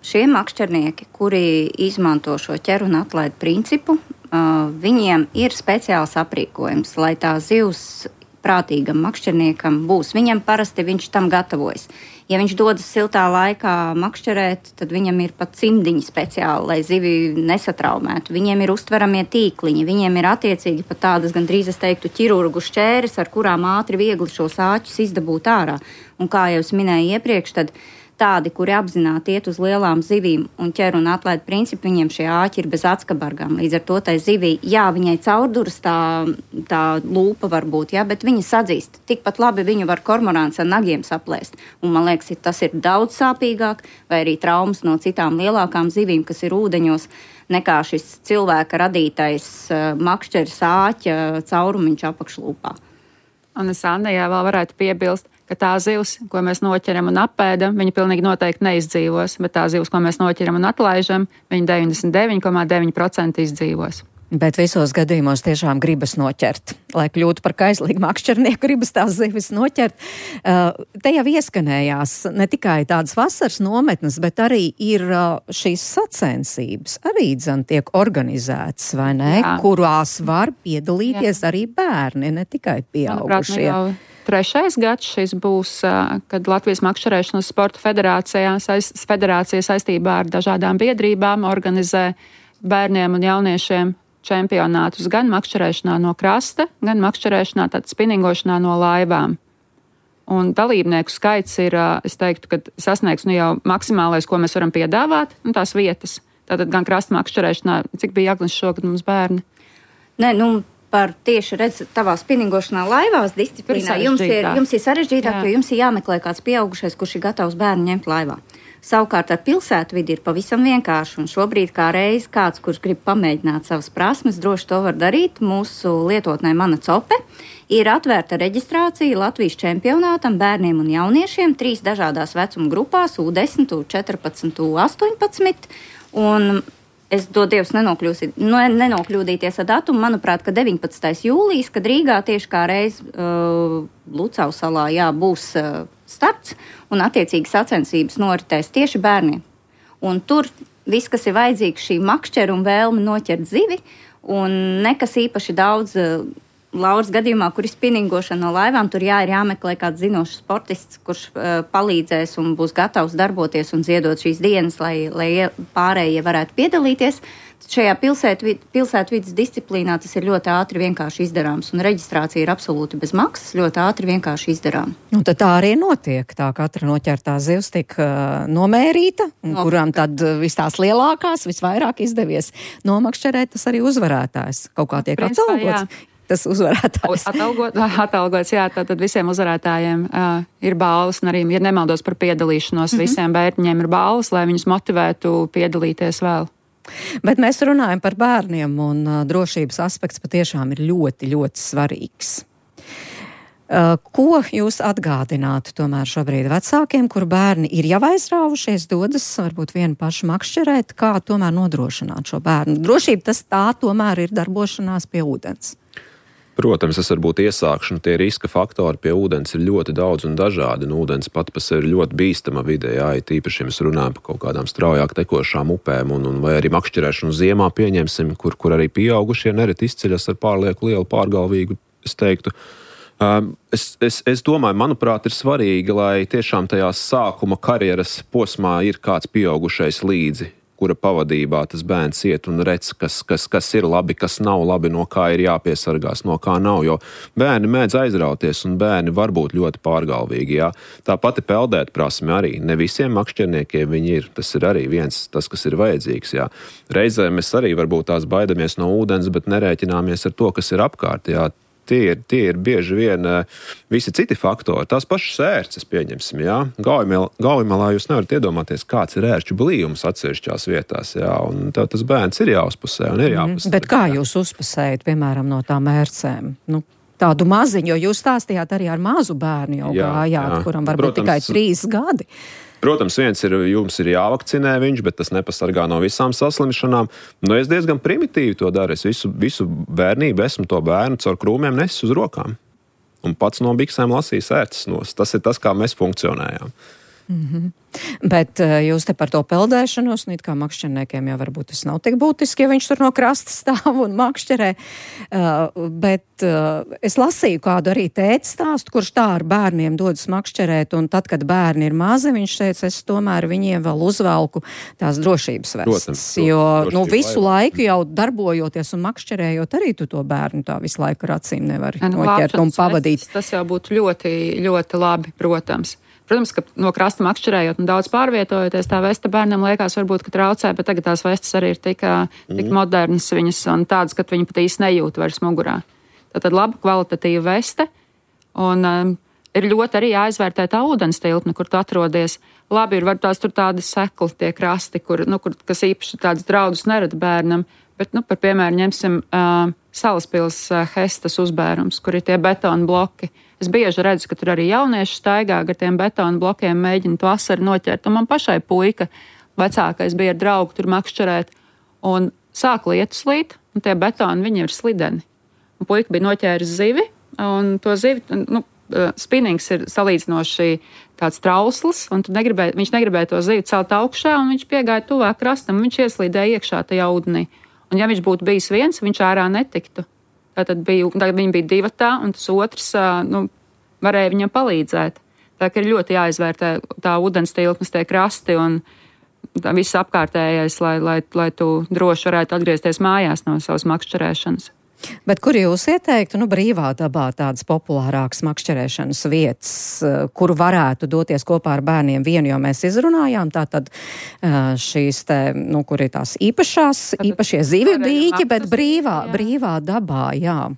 šie makšķernieki, kuri izmanto šo ķer un atlaid principu, viņiem ir speciāls aprīkojums, lai tā zivs prātīgam makšķerniekam būs. Viņam parasti viņš tam gatavojas. Ja viņš dodas siltā laikā makšķerēt, tad viņam ir pat cimdiņi speciāli, lai zivi nesatraumētu. Viņiem ir uztveramie tīkliņi, viņiem ir attiecīgi pat tādas, gandrīz es teiktu, ķirurgu šķēres, ar kurām ātri viegli šos āķus izdabūt ārā. Un kā jau es minēju iepriekš, tad tādi, kuri apzināti iet uz lielām zivīm un ķer un atlaid principu, viņiem šie āķi ir bez ackabargām. Līdz ar to tai zivī, viņai caurduras tā lūpa var būt, bet viņa sadzīst. Tikpat labi viņu var kormorāns ar nagiem saplēst. Un man liekas, tas ir daudz sāpīgāk, vai arī traumas no citām lielākām zivīm, kas ir ūdeņos, nekā šis cilvēka radītais makšķeris āķa caurumiņš apakšlūpā. Un es Annijā vēl varētu piebilst, ka tā zivs, ko mēs noķeram un apēdam, viņa pilnīgi noteikti neizdzīvos, bet tā zivs, ko mēs noķeram un atlaižam, viņa 99,9% izdzīvos. Bet visos gadījumos tiešām gribas noķert. Lai kļūtu par kaislīgu makšķernieku, gribas tās zivis noķert. Te jau ieskanējās ne tikai tādas vasaras nometnes, bet arī ir šīs sacensības. Arī tiek organizētas, vai ne? Jā. Kurās var piedalīties arī bērni, ne tikai pieaugušie. Manuprāt, 3. gads šis būs, kad Latvijas makšķerēšanas sporta federācija saistībā ar dažādām biedrībām organizē bērniem un jauniešiem čempionātus gan makšķerēšanā no krasta, gan makšķerēšanā, tad spinningošanā no laivām. Un dalībnieku skaits ir, es teiktu, ka sasniegs jau maksimālais, ko mēs varam piedāvāt, un tās vietas. Tātad gan krasta makšķerēšanā, cik bija Agnes šogad mums bērni? Par tieši tavā spinningošanā laivās disciplīnā jums ir sarežģītāk, jo jums ir jāmeklē kāds pieaugušais, kurš ir gatavs bērnu ņemt laivā. Savukārt ar pilsētu vidi ir pavisam vienkārši, un šobrīd kā reiz kāds, kurš grib pamēģināt savas prasmes, droši to var darīt. Mūsu lietotnē Mana Cope ir atvērta reģistrācija Latvijas čempionātam bērniem un jauniešiem 3 dažādās vecuma grupās, U10, U14, U18, un es Dievs nenokļūdīties ar datumu, manuprāt, ka 19. jūlijas, kad Rīgā tieši kā reiz Lucau salā būs starts un attiecīgi sacensības noritēs tieši bērniem. Un tur viss, kas ir vajadzīgs, šī makšķera un vēlme noķert zivi, un nekas īpaši daudz. Lauras gadījumā, kur ir spinningošana no laivām, tur ir jāmeklē kāds zinošs sportists, kurš palīdzēs un būs gatavs darboties un ziedot šīs dienas, lai pārējie varētu piedalīties. Šajā pilsētvides disciplīnā tas ir ļoti ātri vienkārši izdarāms, un reģistrācija ir absolūti bez maksas, ļoti ātri vienkārši izdarām. Un tad tā arī notiek, tā katra noķertā zivs tiek nomērīta, kurām tad vis tās lielākās, visvairāk izdevies nomakšķerēt, tas arī uzvarētājs kaut kā tiek atalgots. Tas uzvarētājs. Atalgots, tātad visiem uzvarētājiem ir balvas, un arī, ja nemaldos par piedalīšanos, visiem bērniņiem ir balvas, lai viņus motivētu piedalīties vēl. Bet mēs runājam par bērniem, un drošības aspekts patiešām ir ļoti, ļoti svarīgs. Ko jūs atgādinātu tomēr šobrīd vecākiem, kur bērni ir jau aizrāvušies, dodas varbūt vienu pašu makšķerēt, kā tomēr nodrošināt šo bērnu? Drošība tas tā tomēr ir darbošanās pie ūdens. Protams, tas var būt iesākšana. Tie riska faktori pie ūdens ir ļoti daudz un dažādi. Ūdens pat par sevi ir ļoti bīstama vidē, tīpaši, ja mēs runājam par kaut kādām straujāk tekošām upēm vai arī makšķerēšanu ziemā pieņemsim, kur arī pieaugušie nereti izceļas ar pārlieku lielu pārgalvīgu, es teiktu. Es domāju, manuprāt, ir svarīgi, lai tiešām tajā sākuma karjeras posmā ir kāds pieaugušais līdzi, kura pavadībā tas bērns iet un redz, kas ir labi, kas nav labi, no kā ir jāpiesargās, no kā nav, jo bērni mēdz aizrauties un bērni var būt ļoti pārgalvīgi, jā. Tā pati peldēt prasme arī, ne visiem makšķerniekiem viņi ir, tas ir arī tas, kas ir vajadzīgs, jā. Reizē mēs arī varbūt tās baidamies no ūdens, bet nerēķināmies ar to, kas ir apkārt, jā. Tie ir bieži vien visi citi faktori. Tās pašas ērces pieņemsim, jā. Gaujamalā jūs nevarat iedomāties, kāds ir ērču blījums atsevišķās vietās, jā. Un tas bērns ir jāuzpusē un ir jāpusē. Bet kā jūs uzpusējat, piemēram, no tām ērcēm? Tādu maziņu, jo jūs stāstījāt arī ar mazu bērnu jau gājāt, kuram varbūt tikai 3 gadi. Protams, jums ir jāvakcinē viņš, bet tas nepasargā no visām saslimšanām. Es diezgan primitīvi to daru. Es visu bērnību esmu to bērnu caur krūmiem nesis uz rokām. Un pats no biksēm lasīs ērces nost. Tas ir tas, kā mēs funkcionējām. Mm-hmm. Bet jūs te par to peldēšanos, it kā makšķerniekiem jau varbūt tas nav tik būtiski, ja viņš tur no krasta stāv un makšķerē, bet es lasīju kādu arī tēti stāstu, kurš tā ar bērniem dodas makšķerēt, un tad, kad bērni ir mazi, viņš teica, es tomēr viņiem vēl uzvelku tās drošības vestes, jo visu laiku jau darbojoties un makšķerējot, arī tu to bērnu tā visu laiku ar acīm nevari noķert un pavadīt. Tas jau būtu ļoti, ļoti labi, protams. Protams, ka no krasta makšķerējot un daudz pārvietojoties, tā vesta bērnam liekas varbūt, ka traucē, bet tagad tās vestas arī ir tik modernas viņas un tādas, ka viņi pat īsti nejūt vairs mugurā. Tātad laba kvalitatīva veste un ir ļoti arī jāizvērtē tā ūdens tilpne, kur tu atrodies. Labi ir varbūt tur tādi sekli, tie krasti, kas īpaši tādas draudus nerada bērnam, bet, par piemēru ņemsim Salaspils Hestas uzbērums, kur ir tie betona bloki. Es bieži redzu, ka tur arī jaunieši staigā ar tiem betona blokiem, mēģina to asaru noķert. Un man pašai puika, vecākais, bija ar draugu tur makšķerēt, un sāk lietus līt, un tie betoni, viņi ir slideni. Un puika bija noķēris zivi, un to zivi, spinnings ir salīdzinoši tāds trausls, un viņš negribēja to zivi celt augšā, un viņš piegāja tuvāk krastam, un viņš ieslīdēja iekšā tajā ūdenī. Un ja viņš būtu bijis viens, viņš ārā netiktu. Tagad viņi bija 2, un tas otrs varēja viņam palīdzēt. Tā ka ir ļoti jāizvērtē tā ūdens tilpnes, tie krasti un viss apkārtējais, lai tu droši varētu atgriezties mājās no savas makšķerēšanas. Bet kur jūs ieteiktu, brīvā dabā tādas populārākas makšķerēšanas vietas, kur varētu doties kopā ar bērniem vienu, jo mēs izrunājām tātad šīs te, kur ir tās īpašie zivju dīķi, bet brīvā dabā, jā.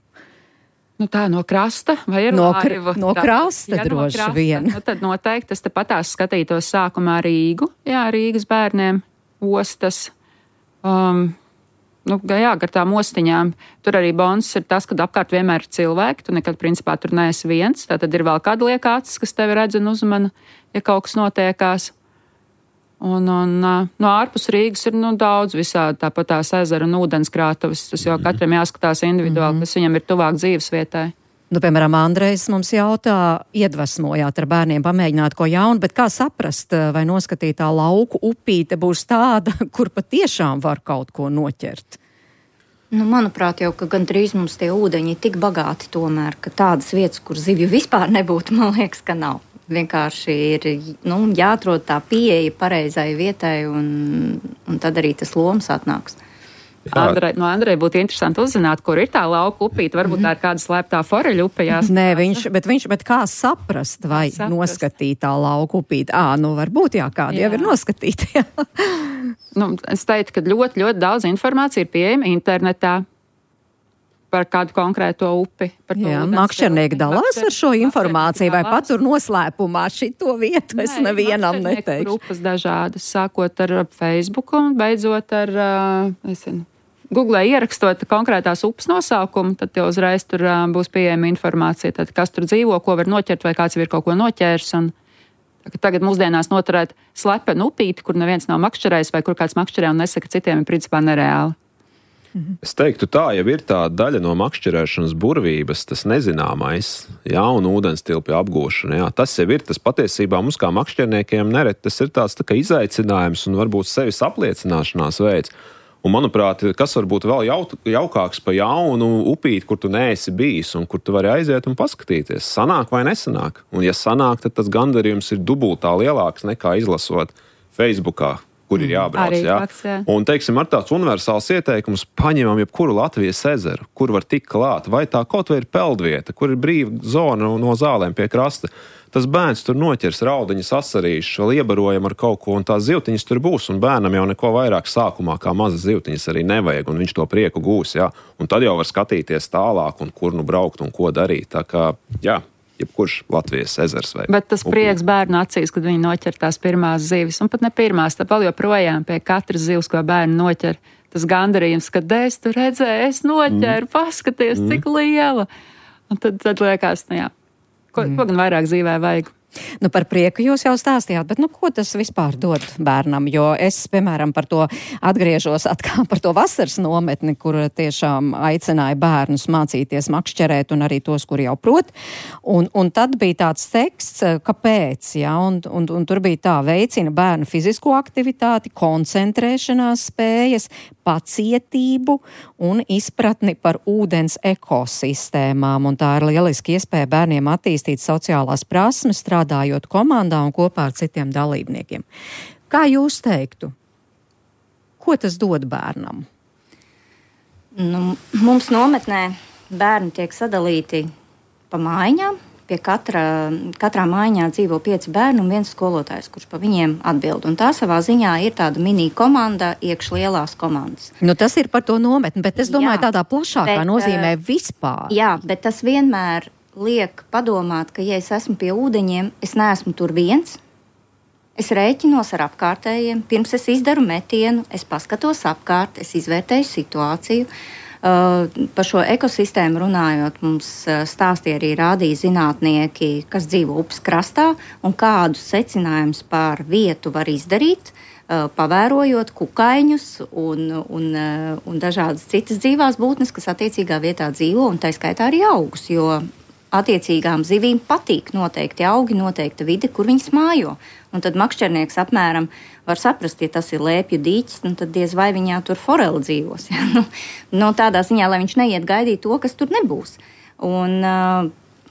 Tā no krasta vai ir laiva? No krasta droši vien. Tad noteikti es te patās skatītos sākumā Rīgu, Rīgas bērniem, ostas, gar tām ostiņām. Tur arī bonus ir tas, kad apkārt vienmēr ir cilvēki, tu nekad principā tur neesi viens, tātad ir vēl kāda liekācis, kas tevi redz un uzmana, ja kaut kas notiekās. Un no ārpus Rīgas ir daudz visādi, tāpat tās ezera un ūdenskrātuves, tas jau katram jāskatās individuāli, kas viņam ir tuvāk dzīves vietai. Piemēram, Andrejs mums jautā, iedvesmojāt ar bērniem pamēģināt ko jaunu, bet kā saprast, vai noskatītā lauku upīte būs tāda, kur patiešām var kaut ko noķert? Manuprāt, jau ka gandrīz mums tie ūdeņi ir tik bagāti tomēr, ka tādas vietas, kur zivju vispār nebūtu, man liekas, ka nav. Vienkārši ir jāatrod tā pieeja pareizai vietai un tad arī tas lomas atnāks. No Andreja būtu interesanti uzzināt, kur ir tā lauka upīte. Varbūt tā ir kāda slēptā foreļu upe jāskatās. Nē, bet kā saprast, vai noskatītā lauka upīte? Varbūt kāda jau ir noskatīta. Es teiktu, ka ļoti, ļoti daudz informācija ir pieejama internetā par kādu konkrēto upi. Makšķernieki dalās ar šo informāciju vai patur noslēpumā šito vietu? Es nevienam neteikšu. Grupas dažādas, sākot ar Facebook un beidzot ar, Google ierakstot konkrētās upes nosaukumu, tad jau uzreiz tur būs pieejama informācija, tad kas tur dzīvo, ko var noķert vai kāds ir kaut ko noķērs. Un tagad mūsdienās noturēt slepenu upīti, kur neviens nav makšķerējis vai kur kāds makšķerē un nesaka citiem, ir principā nereāli. Es teiktu tā, jau ir tā daļa no makšķerēšanas burvības, tas nezināmais, un ūdenstilpju apgūšana. Jā. Tas jau ir, tas patiesībā mums kā makšķerniekiem nereti, tas ir tāds tā kā izaicinājums un varbūt sevis apliecināšanās veids. Un, manuprāt, kas var būt vēl jaukāks pa jaunu upīti, kur tu neesi bijis un kur tu vari aiziet un paskatīties, sanāk vai nesanāk. Un ja sanāk, tad tas gandarījums ir dubultā lielāks nekā izlasot Facebookā, kur ir jābrauc. Jā. Un, teiksim, ar tāds universāls ieteikums paņemam jebkuru Latvijas ezeru, kur var tikt klāt, vai tā kaut vai ir peldvieta, kur ir brīva zona no zālēm pie krasta. Tas bērns tur noķers raudiņas, asarīšus, vēl iebarojam ar kaut ko, un tās zivtiņas tur būs, un bērnam jau neko vairāk sākumā kā mazas zivtiņas arī nevajag, un viņš to prieku gūs, jā. Un tad jau var skatīties tālāk, un kur nu braukt un ko darīt. Tā kā, jā, jebkurš Latvijas ezers vai... Bet tas prieks bērnu acīs, kad viņi noķer tās pirmās zivis, un pat ne pirmās, tad vēl joprojām pie katras zivs, ko bērni noķer, tas gandarījums, kad es tu redzēju, es noķeru, paskaties, cik liela. Un tad liekas, nu jā. Ko gan vairāk dzīvē vajag? Nu, par prieku jūs jau stāstījāt, bet ko tas vispār dod bērnam? Jo es, piemēram, par to atgriežos atkal par to vasaras nometni, kur tiešām aicināja bērnus mācīties makšķerēt un arī tos, kuri jau prot. Un tad bija tāds teksts, kāpēc, un tur bija tā, veicina bērnu fizisko aktivitāti, koncentrēšanās spējas, pacietību un izpratni par ūdens ekosistēmām. Un tā ir lieliski iespēja bērniem attīstīt sociālās prasmes, strādājot komandā un kopā ar citiem dalībniekiem. Kā jūs teiktu? Ko tas dod bērnam? Mums nometnē bērni tiek sadalīti pa mājiņām. Pie katrā mājiņā dzīvo 5 bērni un 1 skolotājs, kurš pa viņiem atbild. Un tā savā ziņā ir tāda mini komanda iekš lielās komandas. Tas ir par to nometni, bet es domāju tādā plašākā nozīmē vispār. Jā, bet tas vienmēr liek padomāt, ka ja es esmu pie ūdeņiem, es neesmu tur viens. Es rēķinos ar apkārtējiem. Pirms es izdaru metienu, es paskatos apkārt, es izvērtēju situāciju. Par šo ekosistēmu runājot, mums stāstīja arī rādīja zinātnieki, kas dzīvo upes krastā un kādus secinājumus par vietu var izdarīt, pavērojot kukaiņus un dažādas citas dzīvās būtnes, kas attiecīgā vietā dzīvo, un tā skaitā arī augus, jo attiecīgām zivīm patīk noteikti augi, noteikta vide, kur viņas mājo. Un tad makšķernieks apmēram var saprast, ja tas ir lēpju dīķis, tad diez vai viņā tur foreli dzīvos. Ja? Tādā ziņā, lai viņš neiet gaidīt to, kas tur nebūs. Un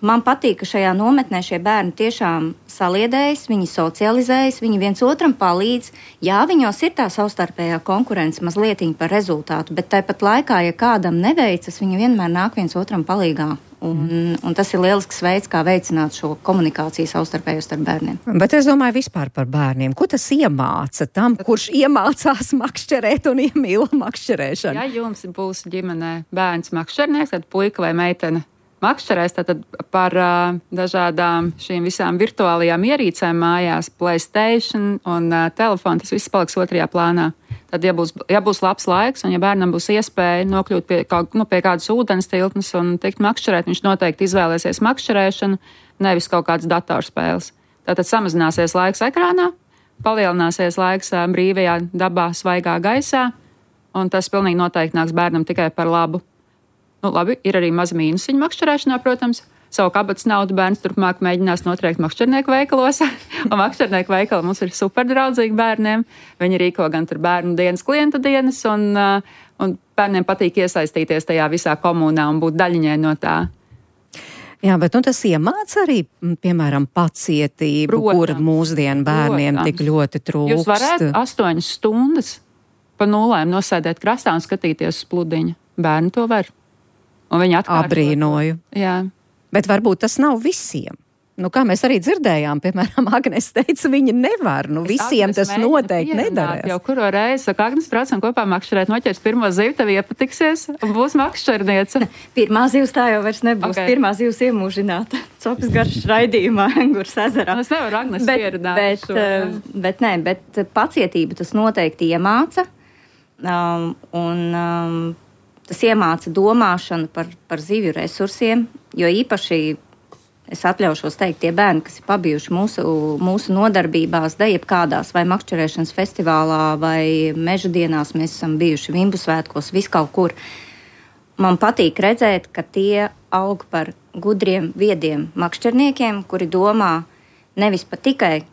man patīk, ka šajā nometnē šie bērni tiešām saliedējas, viņi socializējas, viņi viens otram palīdz. Jā, viņos ir tā savstarpējā konkurence mazlietiņa par rezultātu, bet tāpat laikā, ja kādam neveicas, viņi vienmēr nāk viens otram palīgā. Un tas ir lielisks veids, kā veicināt šo komunikāciju savstarpējo starp bērniem. Bet es domāju vispār par bērniem. Ko tas iemāca tam, kurš iemācās makšķerēt un iemīl makšķerēšanu? Ja jums būs ģimenē bērns makšķernieks, tad puika vai meitene makšķerēs, tad par dažādām šīm visām virtuālajām ierīcēm mājās, PlayStation un telefonu, tas viss paliks otrajā plānā. Tad, ja būs labs laiks un ja bērnam būs iespēja nokļūt pie kādas ūdens tilpnes un tikt makšķerēt, viņš noteikti izvēlēsies makšķerēšanu, nevis kaut kādas datorspēles. Tātad samazināsies laiks ekrānā, palielināsies laiks brīvajā dabā, svaigā gaisā, un tas pilnīgi noteikti nāks bērnam tikai par labu. Labi, ir arī mazi mīnusiņi makšķerēšanā, protams. Savu kabatas naudu bērns turpmāk mēģinās notriekt makšķernieku veikalos. Un makšķernieku veikali mums ir superdraudzīgi bērniem. Viņi rīko gan tur bērnu dienas, klientu dienas, un bērniem patīk iesaistīties tajā visā komunā un būt daļiņai no tā. Jā, bet tas iemāca arī, piemēram, pacietību, kur mūsdienu bērniem tik ļoti trūkst. Jūs varētu 8 stundas pa nulēm nosēdēt krastā un skatīties uz pludiņa. Bērni to var. Un viņi atkārto. Abrīnoju. Jā. Bet varbūt tas nav visiem. Kā mēs arī dzirdējām, piemēram, Agnes teica, viņi nevar. Visiem tas noteikti nedarēs. Jau kuro reizi, saka, Agnes, braucam kopā makšķerēt, noķers pirmo zivu, tev iepatiksies un būs makšķerniece. Pirmā zivs tā jau vairs nebūs. Okay. Pirmā zivs iemūžināta. Copas garš raidījumā, Engurs ezerā. Es nevaru Agnes pieredāt šo. Bet pacietība tas noteikti iemāca. Tas iemāca domāšanu par zivju resursiem, jo īpaši es atļaušos teikt, tie bērni, kas ir pabijuši mūsu nodarbībās, jebkādās, vai makšķerēšanas festivālā, vai meža dienās, mēs esam bijuši Vimbu svētkos, viskaut kur. Man patīk redzēt, ka tie aug par gudriem, viediem makšķerniekiem, kuri domā nevis pat tikai,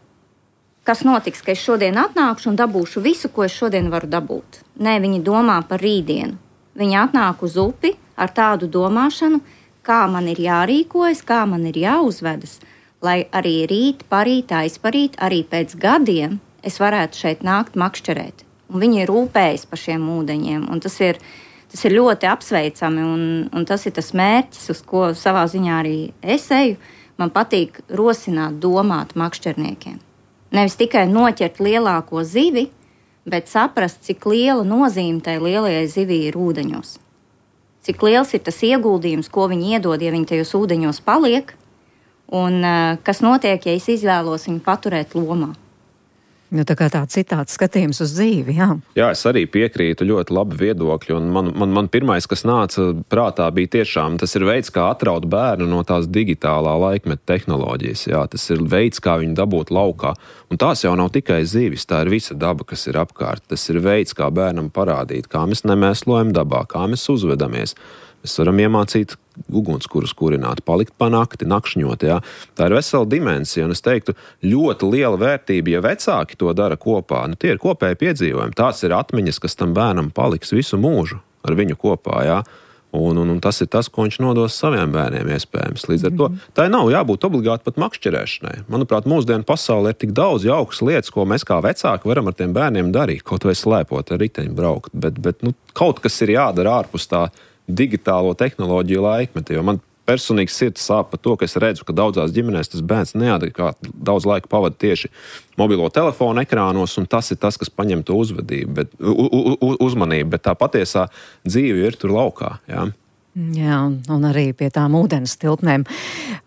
kas notiks, ka es šodien atnākšu un dabūšu visu, ko es šodien varu dabūt. Nē, viņi domā par rītdienu. Viņi atnāk uz upi ar tādu domāšanu, kā man ir jārīkojas, kā man ir jāuzvedas, lai arī rīt, parīt, aizparīt, arī pēc gadiem es varētu šeit nākt makšķerēt. Un viņi rūpējas par šiem ūdeņiem, un tas ir ļoti apsveicami, un tas ir tas mērķis, uz ko savā ziņā arī es eju. Man patīk rosināt, domāt makšķerniekiem. Nevis tikai noķert lielāko zivi, bet saprast, cik liela nozīme tai lielajai zivī ir ūdeņos. Cik liels ir tas ieguldījums, ko viņi iedod, ja viņi tajos ūdeņos paliek, un kas notiek, ja es izvēlos viņu paturēt lomā. Nu, tā kā tāds citāds skatījums uz dzīvi, jā. Jā, es arī piekrītu, ļoti labi viedokļi, un man pirmais, kas nāca prātā, bija tiešām, tas ir veids, kā atraut bērnu no tās digitālā laikmeta tehnoloģijas, jā, tas ir veids, kā viņu dabūt laukā, un tās jau nav tikai zivis, tā ir visa daba, kas ir apkārt, tas ir veids, kā bērnam parādīt, kā mēs nemēslojam dabā, kā mēs uzvedamies. Mēs varam iemācīt ugunskurus kurināt, palikt pa nakti, nakšņot, jā. Tā ir vesela dimensija, un es teiktu, ļoti liela vērtība, ja vecāki to dara kopā. Nu, tie ir kopēji piedzīvojumi. Tās ir atmiņas, kas tam bērnam paliks visu mūžu ar viņu kopā, jā. Un tas ir tas, ko viņš nodos saviem bērniem iespējams. Līdz ar to tā nav jābūt obligāti pat makšķerēšanai. Manuprāt, mūsdienu pasaulē ir tik daudz jaukas lietas, ko mēs kā vecāki varam ar tiem bērniem darīt, kaut vai slēpot ar riteņu braukt, bet kaut kas ir jādara ārpus tā digitālo tehnoloģiju laikmetu, jo man personīgi sirds sāp par to, ka es redzu, ka daudzās ģimenēs tas bērns neadekvāti daudz laika pavada tieši mobilo telefonu ekrānos, un tas ir tas, kas paņem to uzmanību, bet tā patiesā dzīve ir tur laukā, jā. Jā, un arī pie tām ūdens tilpnēm.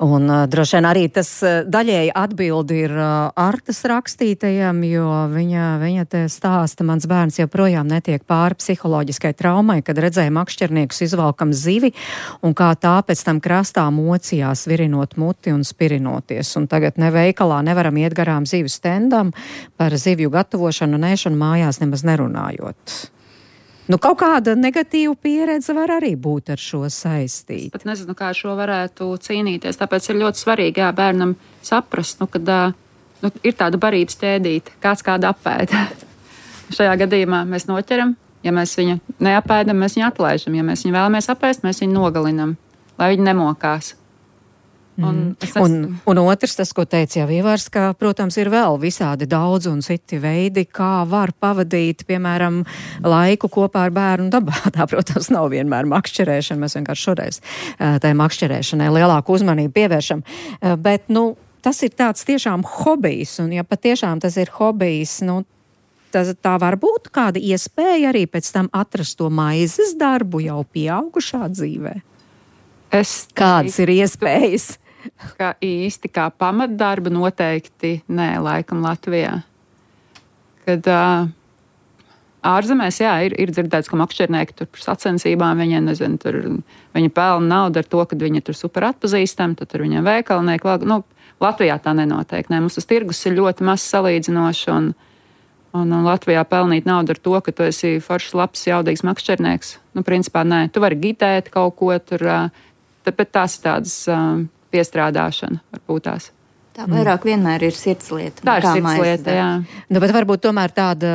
Un droši vien arī tas daļēji atbildi ir Artas rakstītajam, jo viņa te stāsta, mans bērns joprojām netiek pāri psiholoģiskai traumai, kad redzēja makšķerniekus izvalkam zivi, un kā tā pēc tam krastā mocījās, virinot muti un spirinoties. Un tagad ne veikalā nevaram iet garām zivju stendam, par zivju gatavošanu un ēšanu mājās nemaz nerunājot. Nu, kaut kāda negatīva pieredze var arī būt ar šo saistīt. Es pat nezinu, kā šo varētu cīnīties. Tāpēc ir ļoti svarīgi, jā, bērnam saprast, kad ir tāda barības ķēdīte, kāds kādu apēda. Šajā gadījumā mēs noķeram, ja mēs viņu neapēdam, mēs viņu atlaižam. Ja mēs viņu vēlamies apēst, mēs viņu nogalinam, lai viņi nemokās. Un otrs, tas, ko teica jau Ivars, ka, protams, ir vēl visādi daudz un citi veidi, kā var pavadīt, piemēram, laiku kopā ar bērnu dabā. Tā, protams, nav vienmēr makšķerēšana, mēs vienkārši šoreiz tai makšķerēšanai lielāku uzmanību pievēršam. Bet, tas ir tāds tiešām hobijs, un ja patiešām tas ir hobijs, tā var būt kāda iespēja arī pēc tam atrast to maizes darbu jau pieaugušā dzīvē. Kādas ir iespējas? Kā īsti kā pamatdarba noteikti nē, laikam Latvijā. Kad ārzemēs, jā, ir dzirdēts, ka makšķernieki tur par sacensībām, viņi pelna naudu ar to, ka viņi tur super atpazīstami, tad tur viņiem veikalnieki. Latvijā tā nenotiek. Mums tas tirgus ir ļoti maz salīdzinoši, un Latvijā pelnīt naudu ar to, ka tu esi foršs, labs, jaudīgs makšķernieks. Principā nē, tu vari gitēt kaut ko tur, bet tās ir tādas piestrādāšana varbūt tās. Tā vairāk vienmēr ir sirdslieta. Tā ir sirdslieta, jā. Bet varbūt tomēr tāda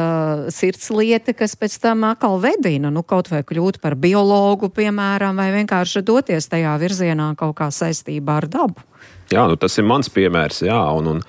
sirdslieta, kas pēc tam atkal vedina, kaut vai kļūt par biologu, piemēram, vai vienkārši doties tajā virzienā kaut kā saistībā ar dabu. Jā, tas ir mans piemērs, jā, un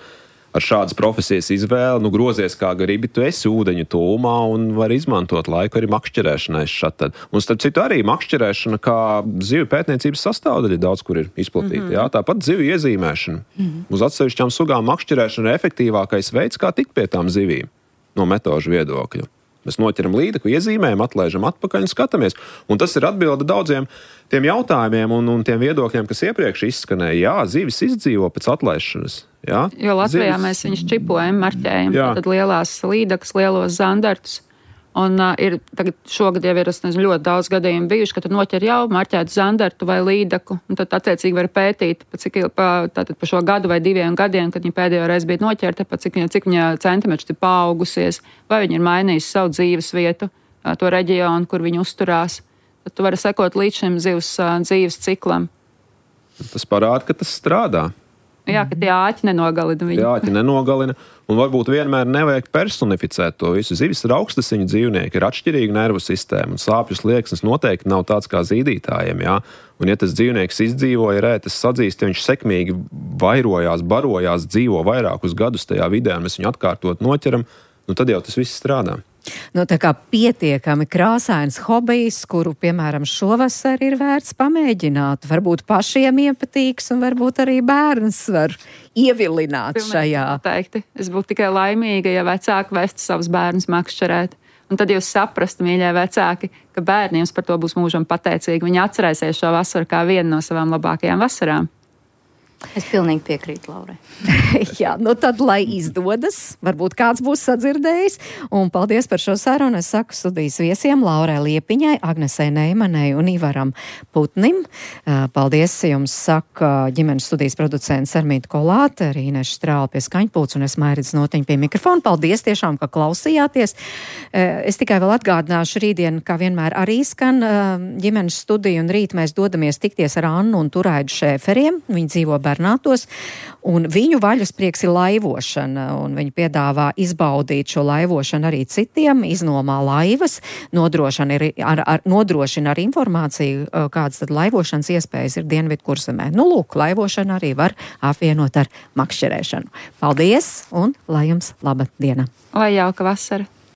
ar šādas profesijas izvēli, grozies kā gribi, tu esi ūdeņu tūmā un var izmantot laiku arī makšķerēšanai šatad. Un starp citu arī makšķerēšana kā zivju pētniecības sastāvdaļa daudz kur ir izplatīta. Jā, tāpat zivju iezīmēšana. Uz atsevišķām sugām makšķerēšana ir efektīvākais veids, kā tikt pie tām zivīm no metožu viedokļa. Mēs noķeram līdeku, iezīmējam, atlaižam atpakaļ un skatāmies. Un tas ir atbilde daudziem tiem jautājumiem un tiem viedokļiem, kas iepriekš izskanēja. Jā, zivis izdzīvo pēc atlaišanas. Jā, jo Latvijā mēs viņus čipojam, marķējam. Tad lielās līdekas, lielos zandartus. Un ir tagad šogad jau ir, es nezinu, ļoti daudz gadījumu bijuši, ka tu noķer jau marķētu zandartu vai līdaku, un tad attiecīgi var pētīt, pa šo gadu vai 2 gadiem, kad viņa pēdējo reizi bija noķerta, cik viņa centimetri ir paaugusies, vai viņa ir mainījusi savu dzīves vietu, to reģionu, kur viņa uzturās. Tad tu vari sekot līdz šim zivs dzīves ciklam. Tas parāda, ka tas strādā. Jā, ka tie āķi nenogalina viņu. Āķi nenogalina, un varbūt vienmēr nevajag personificēt to visu. Zivis ir augstasiņu dzīvnieki, ir atšķirīga nervu sistēma, un sāpju slieksnis noteikti nav tāds kā zīdītājiem, jā. Un ja tas dzīvnieks izdzīvoja, rētas sadzīst, ja viņš sekmīgi vairojās, barojās, dzīvo vairākus gadus tajā vidē, un mēs viņu atkārtot noķeram, tad jau tas viss strādā. Tā kā pietiekami krāsains hobijs, kuru, piemēram, šovasar ir vērts pamēģināt. Varbūt pašiem iepatīks un varbūt arī bērns var ievilināt šajā. Noteikti. Es būtu tikai laimīga, ja vecāki vestu savus bērnus makšķerēt. Un tad jūs saprastu, mīļie vecāki, ka bērni jums par to būs mūžam pateicīgi. Viņi atcerēsies šo vasaru kā vienu no savām labākajām vasarām. Es pilnīgi piekrītu Laurai. Jā, tad, lai izdodas, varbūt kāds būs sadzirdējis. Un paldies par šo sarunu. Es saku studijas viesiem Laurai Liepiņai, Agnesei Neimanai un Ivaram Putnim. Paldies jums, saka ģimenes studijas producents Armīta Kolāte, arī Ineša Strāle pie skaņpults un es Mairits Notiņa pie mikrofona. Paldies tiešām, ka klausījāties. Es tikai vēl atgādināšu rītdien, kā vienmēr arī skan ģimenes studiju, un rīt mēs dodamies tikties ar Annu un Turaidu Šēferiem. Viņi dzīvo Bernātos, un viņu vaļasprieks ir laivošana, un viņi piedāvā izbaudīt šo laivošanu arī citiem, iznomā laivas, nodrošina ar informāciju, kādas tad laivošanas iespējas ir Dienvidkurzemē. Lūk, laivošana arī var apvienot ar makšķerēšanu. Paldies, un lai jums laba diena! Lai jauka vasara!